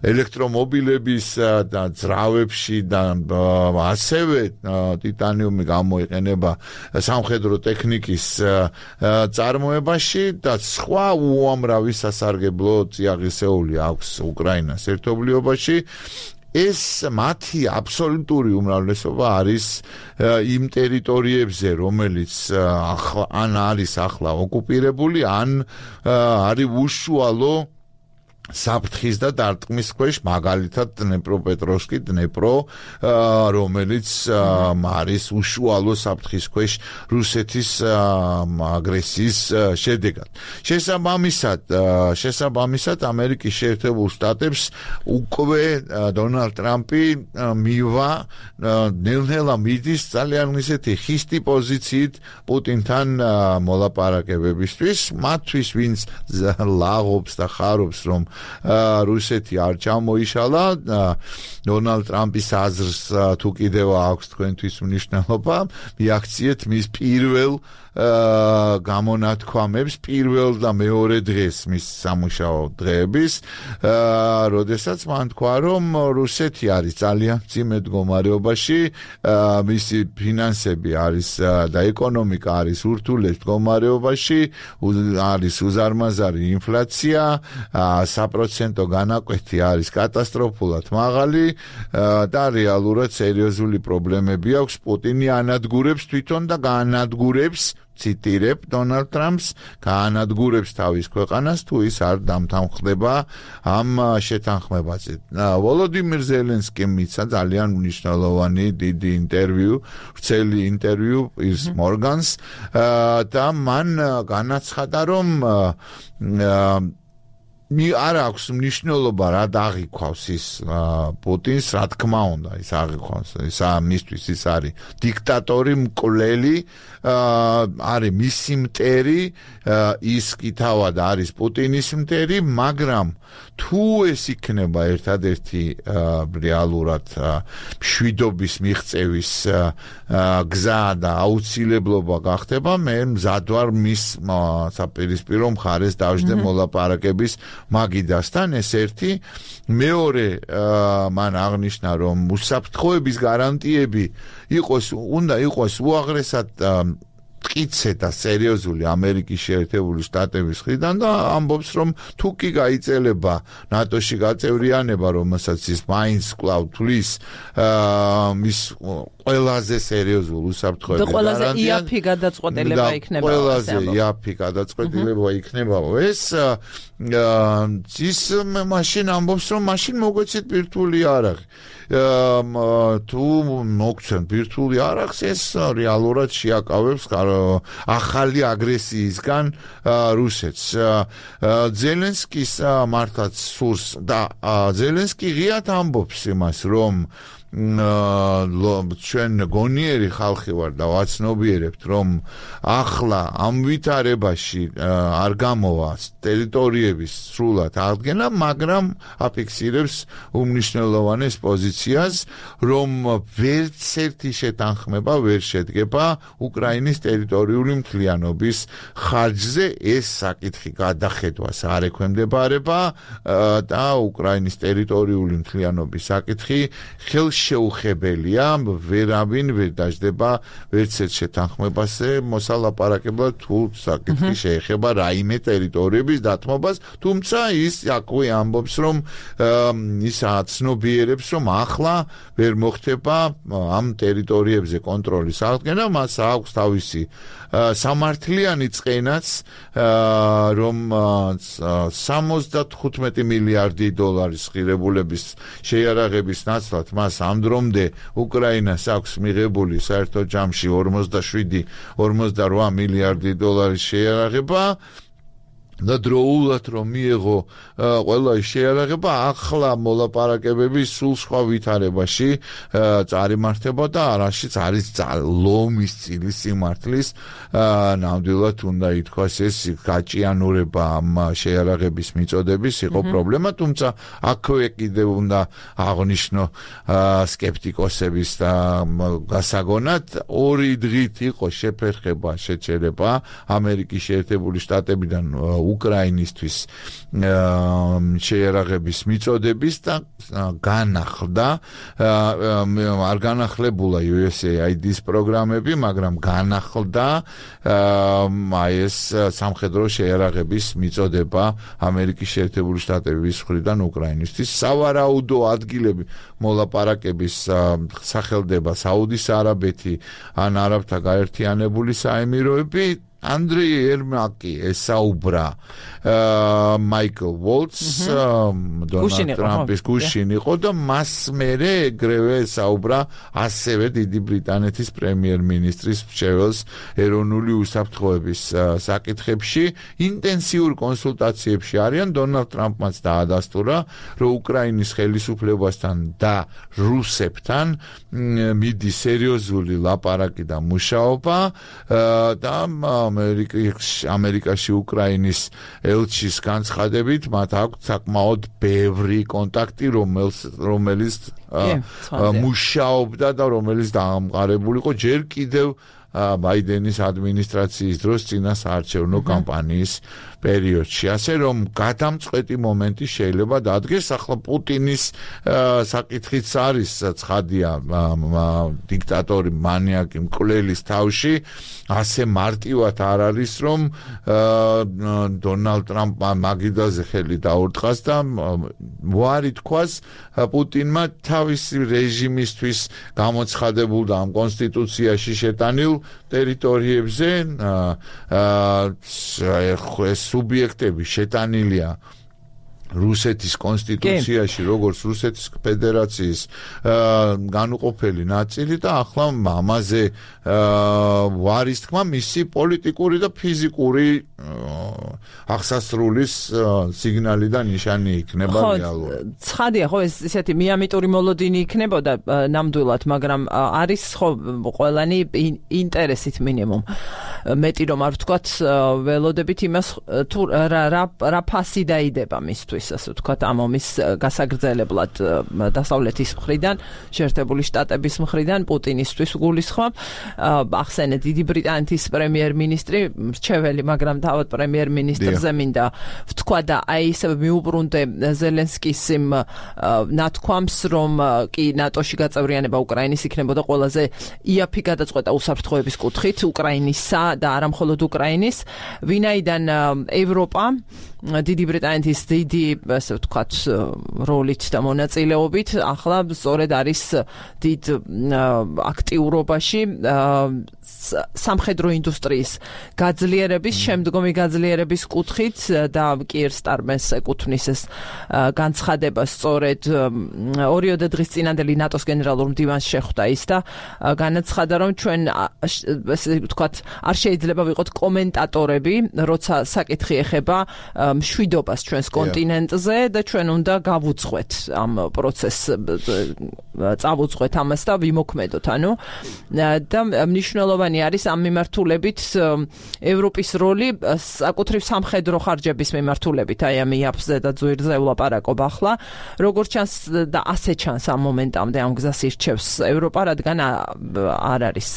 ელექტრომობილების და ძრავებში და ასევე ტიტანიუმი გამოიყენება სამხედრო ტექნიკის წარმოებაში და სხვა უამრავი სასარგებლო წიაღისეული აქვს უკრაინას ერთობლიობაში ეს მათი აბსოლუტური უმრავლესობა არის იმ ტერიტორიებზე რომელიც არის ახლა ოკუპირებული ან არის უშუალო საფრთხის და დარტყმის ქვეშ მაგალითად დნეპროპეტროვსკი დნეპრო რომელიც არის უშუალო საფრთხის ქვეშ რუსეთის აგრესიის შედეგად შესაბამისად ამერიკის შეერთებულ შტატებს უკვე დონალდ ტრამპი მივა ნელ-ნელა მიდის ძალიან ისეთი ხისტი პოზიციით პუტინთან მოლაპარაკებებისთვის მათთვის ვინც ლაღობს და ხარობს რომ რუსეთი არ ჩამოიშალა დონალდ ტრამპის აზრს თუ კიდევ აქვს თქვენთვის მნიშვნელობა მიაქციეთ მის პირველ გამონათქვამებს პირველ და მეორე დღეს მის სამუშაო დღეების როდესაც მან თქვა რომ რუსეთი არის ძალიან მძიმე მდგომარეობაში მისი ფინანსები არის და ეკონომიკა არის ურთულეს მდგომარეობაში არის უზარმაზარი ინფლაცია საპროცენტო განაკვეთი არის კატასტროფულად მაღალი და რეალურად სერიოზული პრობლემები აქვს პუტინი ანადგურებს თვითონ და გაანადგურებს ციტირებ დონალდ ტრამპს გაანადგურებს თავის ქვეყანას თუ ის არ დამთანხმდება ამ შეთანხმებაზე. ვოლოდიმირ ზელენსკიმ მიცა ძალიან მნიშვნელოვანი დიდი ინტერვიუ, ვრცელი ინტერვიუ ის მორგანს და მან განაცხადა რომ არ აქვს მნიშვნელობა რა დაღიქვავს ის პუტინს, რა თქმა უნდა ის აღიქვავს, ის მისთვის ის არის დიქტატორი, მკვლელი, არის მისი მტერი, ის კი თავად არის პუტინის მტერი, მაგრამ თუ ეს იქნება ერთადერთი რეალურად მშვიდობის მიღწევის გზა და აუცილებლობა გახდება, მე მზად ვარ მის საპირისპირო მხარეს დავждე მოლაპარაკების მაგიდასთან ეს ერთი მეორე მან აღნიშნა რომ უსაფრთხოების გარანტიები უნდა იყოს უაღრესად მტკიცე და სერიოზული ამერიკის შეერთებული შტატების მხრიდან და ამბობს რომ თუ კი გაიწელება ნატოში გაწევრიანება რომელსაც ის მაინც კვლავ თulis მის ყველაზე სერიოზულ უსაფრთხოების გარანტია და ყველაზე იაფი გადაწყვეტილება იქნება ყველაზე იაფი გადაწყვეტილება იქნება ეს ის მაშინ ამბობს რომ მაშინ მოგვეცით ბირთვული არაღი თუ მოგცემ ბირთვული არაღს ეს რეალურად შეაკავებს ახალი აგრესიისგან რუსეთს ზელენსკის მართლაც სურს და ზელენსკი ღიად ამბობს იმას რომ ჩვენ გონიერი ხალხი ვარ და ვაცნობიერებთ რომ ახლა ამ ვითარებაში არ გამოვა ტერიტორიების სრულად აღდგენა, მაგრამ აფიქსირებს უმნიშვნელოვანეს პოზიციას, რომ ვერც ერთი შეთანხმება ვერ შედგება უკრაინის ტერიტორიული მთლიანობის ხარჯზე, ეს საკითხი გადახედვას არ ექვემდებარება და უკრაინის ტერიტორიული მთლიანობის საკითხი ხელში შეუხებელია, ვერავინ ვერ დაждდება ვერც ერთ შეთანხმებაზე მოსალაპარაკებლად თუ საკითხი შეეხება რაიმე ტერიტორიების დათმობას, თუმცა ის აქვე ამბობს, რომ ის აცნობიერებს, რომ ახლა ვერ მოხდება ამ ტერიტორიებზე კონტროლის აღდგენა, მას აქვს თავისი სამართლიანი წყენაც, რომ 75 მილიარდი დოლარის ღირებულების შეიარაღების ნაცვლად მას ამ დრომდე უკრაინას აქვს მიღებული საერთო ჯამში 47-48 მილიარდი დოლარის შეიარაღება და დროულად რომ მიიღო ყველა შეიარაღება, ახლა მოლაპარაკებები სულ სხვა ვითარებაში წარიმართება და არაშიც არის ლომის წილის სიმართლის ნამდვილად უნდა ითქვას ეს გაჭიანურება ამ შეიარაღების მიწოდების იყო პრობლემა, თუმცა აქვე კიდევ უნდა აღნიშნო სკეპტიკოსების და გასაგონად ორი დღით იყო შეფერხება შეჩერება ამერიკის შეერთებული შტატებიდან უკრაინისთვის შეიარაღების მიწოდების და განახლდა არ განახლებულა USAID-ის პროგრამები, მაგრამ განახლდა ეს სამხედრო შეიარაღების მიწოდება ამერიკის შეერთებული შტატების მხრიდან უკრაინისთვის. სავარაუდო ადგილები მოლაპარაკების სახელდება საუდის არაბეთი ან არაბთა გაერთიანებული საემიროები. Andriy Yermak ესაუბრა მაიკლ ვოლცს დონალდ ტრამპის გუშინ იყო და მას მერე ეგრევე ესაუბრა ასევე დიდი ბრიტანეთის პრემიერ-მინისტრის მრჩეველს ეროვნული უსაფრთხოების საკითხებში ინტენსიურ კონსულტაციებში არიან. დონალდ ტრამპმაც დაადასტურა, რომ უკრაინის ხელისუფლებასთან და რუსებთან მიდის სერიოზული ლაპარაკი და მუშაობა და ამერიკაში უკრაინის ელჩის განცხადებით მათ აქვს საკმაოდ ბევრი კონტაქტი, რომელიც მუშაობდა და რომელიც დაამყარებული იყო ჯერ კიდევ ბაიდენის ადმინისტრაციის დროს წინა საარჩევნო კამპანიის პერიოდში. ასე რომ გადამწყვეტი მომენტი შეიძლება დადგეს. ახლა პუტინის საკითხიც არის ცხადია, დიქტატორი მანიაკი მკვლელის თავში ასე მარტივად არ არის, რომ დონალდ ტრამპმა მაგიდაზე ხელი დაურტყას და ვარი თქვას პუტინმა თავისი რეჟიმისთვის გამოცხადებულ და ამ კონსტიტუციაში შეტანილ ტერიტორიებზე სუბიექტები შეტანილია რუსეთის კონსტიტუციაში, როგორც რუსეთის ფედერაციის განუყოფელი ნაწილი და ახლა ამაზე ვარის თქმა მისი პოლიტიკური და ფიზიკური ახსასრულის სიგნალი და ნიშანი იქნება რეალურად. ცხადია, ხო, ეს ისეთი მიამიტური მოლოდინი იქნებოდა ნამდვილად, მაგრამ არის ხო ყველანი ინტერესით მინიმუმ. მეტი რომ არ ვთქვათ ველოდებით იმას თუ რა ფასი დაიდება მისთვის, ასე ვთქვათ, ამ ომის გასაგრძელებლად დასავლეთის მხრიდან, შეერთებული შტატების მხრიდან პუტინისთვის გულისხმობ. ახსენეთ, დიდი ბრიტანეთის პრემიერ-მინისტრი მრჩეველი, მაგრამ თავად პრემიერ-მინისტრზე მინდა ვთქვა და აი ისე მიუბრუნდე ზელენსკის იმ ნათქვამს, რომ კი ნატოში გაწევრიანება უკრაინის იქნებოდა ყველაზე იაფი გადაწყვეტა უსაფრთხოების კუთხით უკრაინისა და არა მხოლოდ უკრაინის, ვინაიდან ევროპა დიდი ბრიტანეთის დიდი, ასე ვთქვათ, როლით და მონაწილეობით ახლა სწორედ არის დიდ აქტიურობაში სამხედრო ინდუსტრიის გაძლიერების, შემდგომი გაძლიერების კუთხით და კიერ სტარმეს ეკუთვნის ეს განცხადება სწორედ 2 დღის წინანდელი ნატოს გენერალურ მდივანს შეხვდა ის და განაცხადა, რომ ჩვენ ასე ვთქვათ არ შეიძლება ვიყოთ კომენტატორები, როცა საკითხი ეხება მშვიდობას ჩვენს კონტინენტზე და ჩვენ უნდა გავუძღვეთ ამ პროცესს, წავუძღვეთ ამას და ვიმოქმედოთ, ანუ და მნიშვნელოვანი არის ამ მიმართულებით ევროპის როლი საკუთრივ მხრივ სამხედრო ხარჯების მიმართულებით აი ამ იაფზე და ძვირზე ვლაპარაკობ ახლა. როგორც ჩანს და ასე ჩანს ამ მომენტამდე ამ გზას ირჩევს ევროპა, რადგან არ არის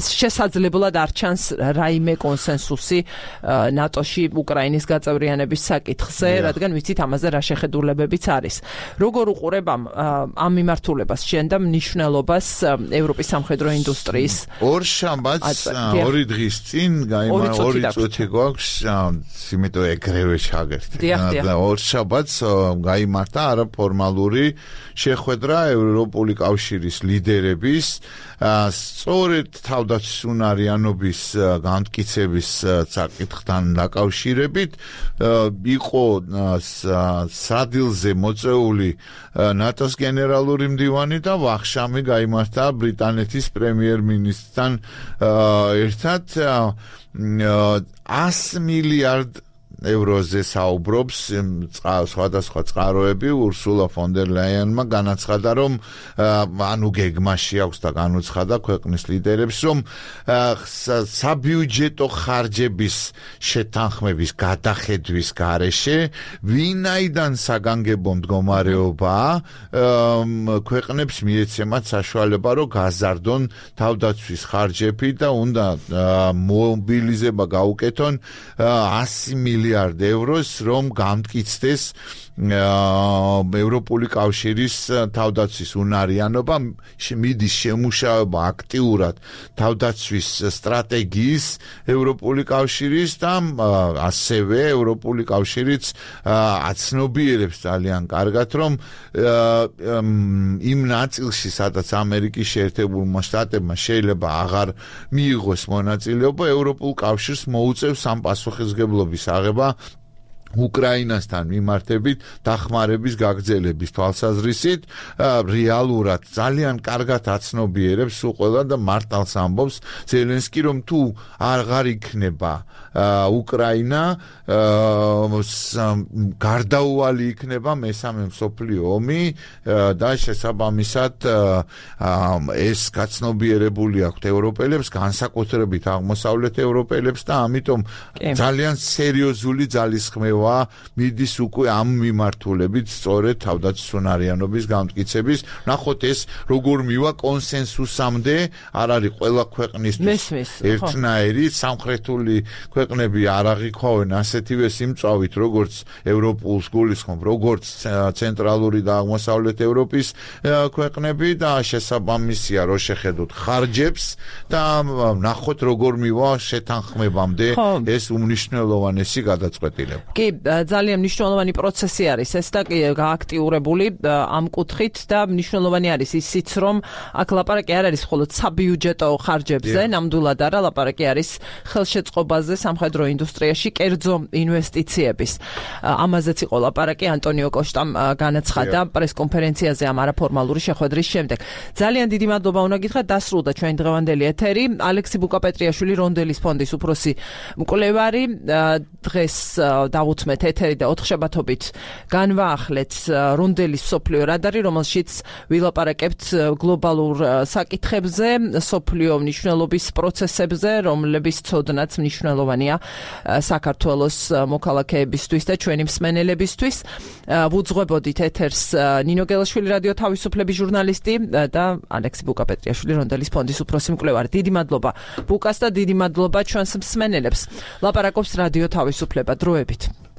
შესაძლებლად არ ჩანს რაიმე კონსენსუსი ნატოში უკრაინის გაწევრიანების საკითხზე, რადგან ვიცით ამაზე რა შეხედულებებიც არის. როგორ უყურებ ამ მიმართულებას შენ და მნიშვნელობას ევროპის სამხედრო ინდუსტრიის? ორ შაბათს 2 დღის წინ გაიმართა 2 წუთი გვაქვს, იმიტომ ეგრევე ჩაგერთე. და ორ შაბათს გაიმართა არაფორმალური შეხვედრა ევროპული კავშირის ლიდერების სწორედ თავდაცვის უნარიანობის განმტკიცების საკითხთან დაკავშირებით იყო სადილზე მოწეული ნატოს გენერალური მდივანი და ვახშამი გაიმართა ბრიტანეთის პრემიერ-მინისტრთან ერთად 100 მილიარდ ევროზე საუბრობს სხვადასხვა წყაროები. ურსულა ფონ დერ ლაიანმა განაცხადა, რომ ანუ გეგმაში აქვს და განუცხადა ქვეყნის ლიდერებს, რომ საბიუჯეტო ხარჯების შეთანხმების გადახედვის გარეშე ვინაიდან საგანგებო მდგომარეობაა ქვეყნებს მიეცემათ საშუალება, რომ გაზარდონ თავდაცვის ხარჯები და უნდა მობილიზება გაუკეთონ 100 მილიარდ ევროს, რომ გამტკიცდეს ევროპული კავშირის თავდაცვის უნარიანობა, მიდის შემუშავება აქტიურად თავდაცვის სტრატეგიის ევროპული კავშირის და ასევე ევროპული კავშირიც აცნობიერებს ძალიან კარგად, რომ იმ ნაწილში, სადაც ამერიკის შეერთებულმა შტატებმა შეიძლება აღარ მიიღოს მონაწილეობა, ევროპულ კავშირს მოუწევს ამ პასუხისმგებლობის აღება უკრაინასთან მიმართებით დახმარების გაგრძელების თვალსაზრისით. რეალურად ძალიან კარგად აცნობიერებს უყველა და მართალს ამბობს ზელენსკი, რომ თუ აღარ იქნება უკრაინა, გარდაუვალი იქნება მესამე მსოფლიო ომი და შესაბამისად ეს გაცნობიერებული აქვთ ევროპელებს, განსაკუთრებით აღმოსავლეთ ევროპელებს და ამიტომ ძალიან სერიოზული ძალისხმევა მიდის უკვე ამ მიმართულებით სწორედ თავდაცვის უნარიანობის გამტკიცების. ნახოთ ეს როგორ მივა კონსენსუსამდე, არ არის ყველა ქვეყნისთვის ერთნაირი, სამხრეთული ქვეყნები არ აღიქვავენ ასეთივე სიმწვავით, როგორც ევროპულს გულისხმობ, როგორც ცენტრალური და აღმოსავლეთ ევროპის ქვეყნები და შესაბამისია რო შეხედოთ ხარჯებს და ნახოთ როგორ მივა შეთანხმებამდე ეს უმნიშვნელოვანესი გადაწყვეტილება. კი, ძალიან მნიშვნელოვანი პროცესი არის ეს და გააქტიურებული ამ კუთხით და მნიშვნელოვანი არის ისიც, რომ აქ ლაპარაკი არ არის მხოლოდ საბიუჯეტო ხარჯებზე, ნამდვილად არა, ლაპარაკი არის ხელშეწყობაზე სამხედრო ინდუსტრიაში, კერძო ინვესტიციების. ამაზეც იყო ლაპარაკი ანტონიო კოშტამ განაცხადა პრესკონფერენციაზე ამ არაფორმალური შეხვედრის შემდეგ. ძალიან დიდი მადლობა უნდა გითხრათ, დასრულდა ჩვენი დღევანდელი ეთერი. ალექსი ბუკაპეტრიაშვილი, რონდელის ფონდის უფროსი მკვლევარი, დღეს დავუთმეთ ეთერი და 4 შაბათობით განვაახლეთ რონდელის მსოფლიო რადარი, რომელშიც ვილაპარაკებთ გლობალურ საკითხებზე, მსოფლიო მნიშვნელობის პროცესებზე, რომლების ცოდნაც მნიშვნელოვანია საქართველოს მოქალაქეებისთვის და ჩვენი მსმენელებისთვის. ვუძღვებოდით ეთერს ნინო გელაშვილი, რადიო თავისუფლების ჟურნალისტი და ალექსი ბუკაპეტრიაშვილი, რონდელის ფონდის უფროსი მკვლევარი. დიდი მადლობა ბუკას და დიდი მადლობა ჩვენს მსმენელებს. ლაპარაკობს რადიო თავისუფლება. დროებით.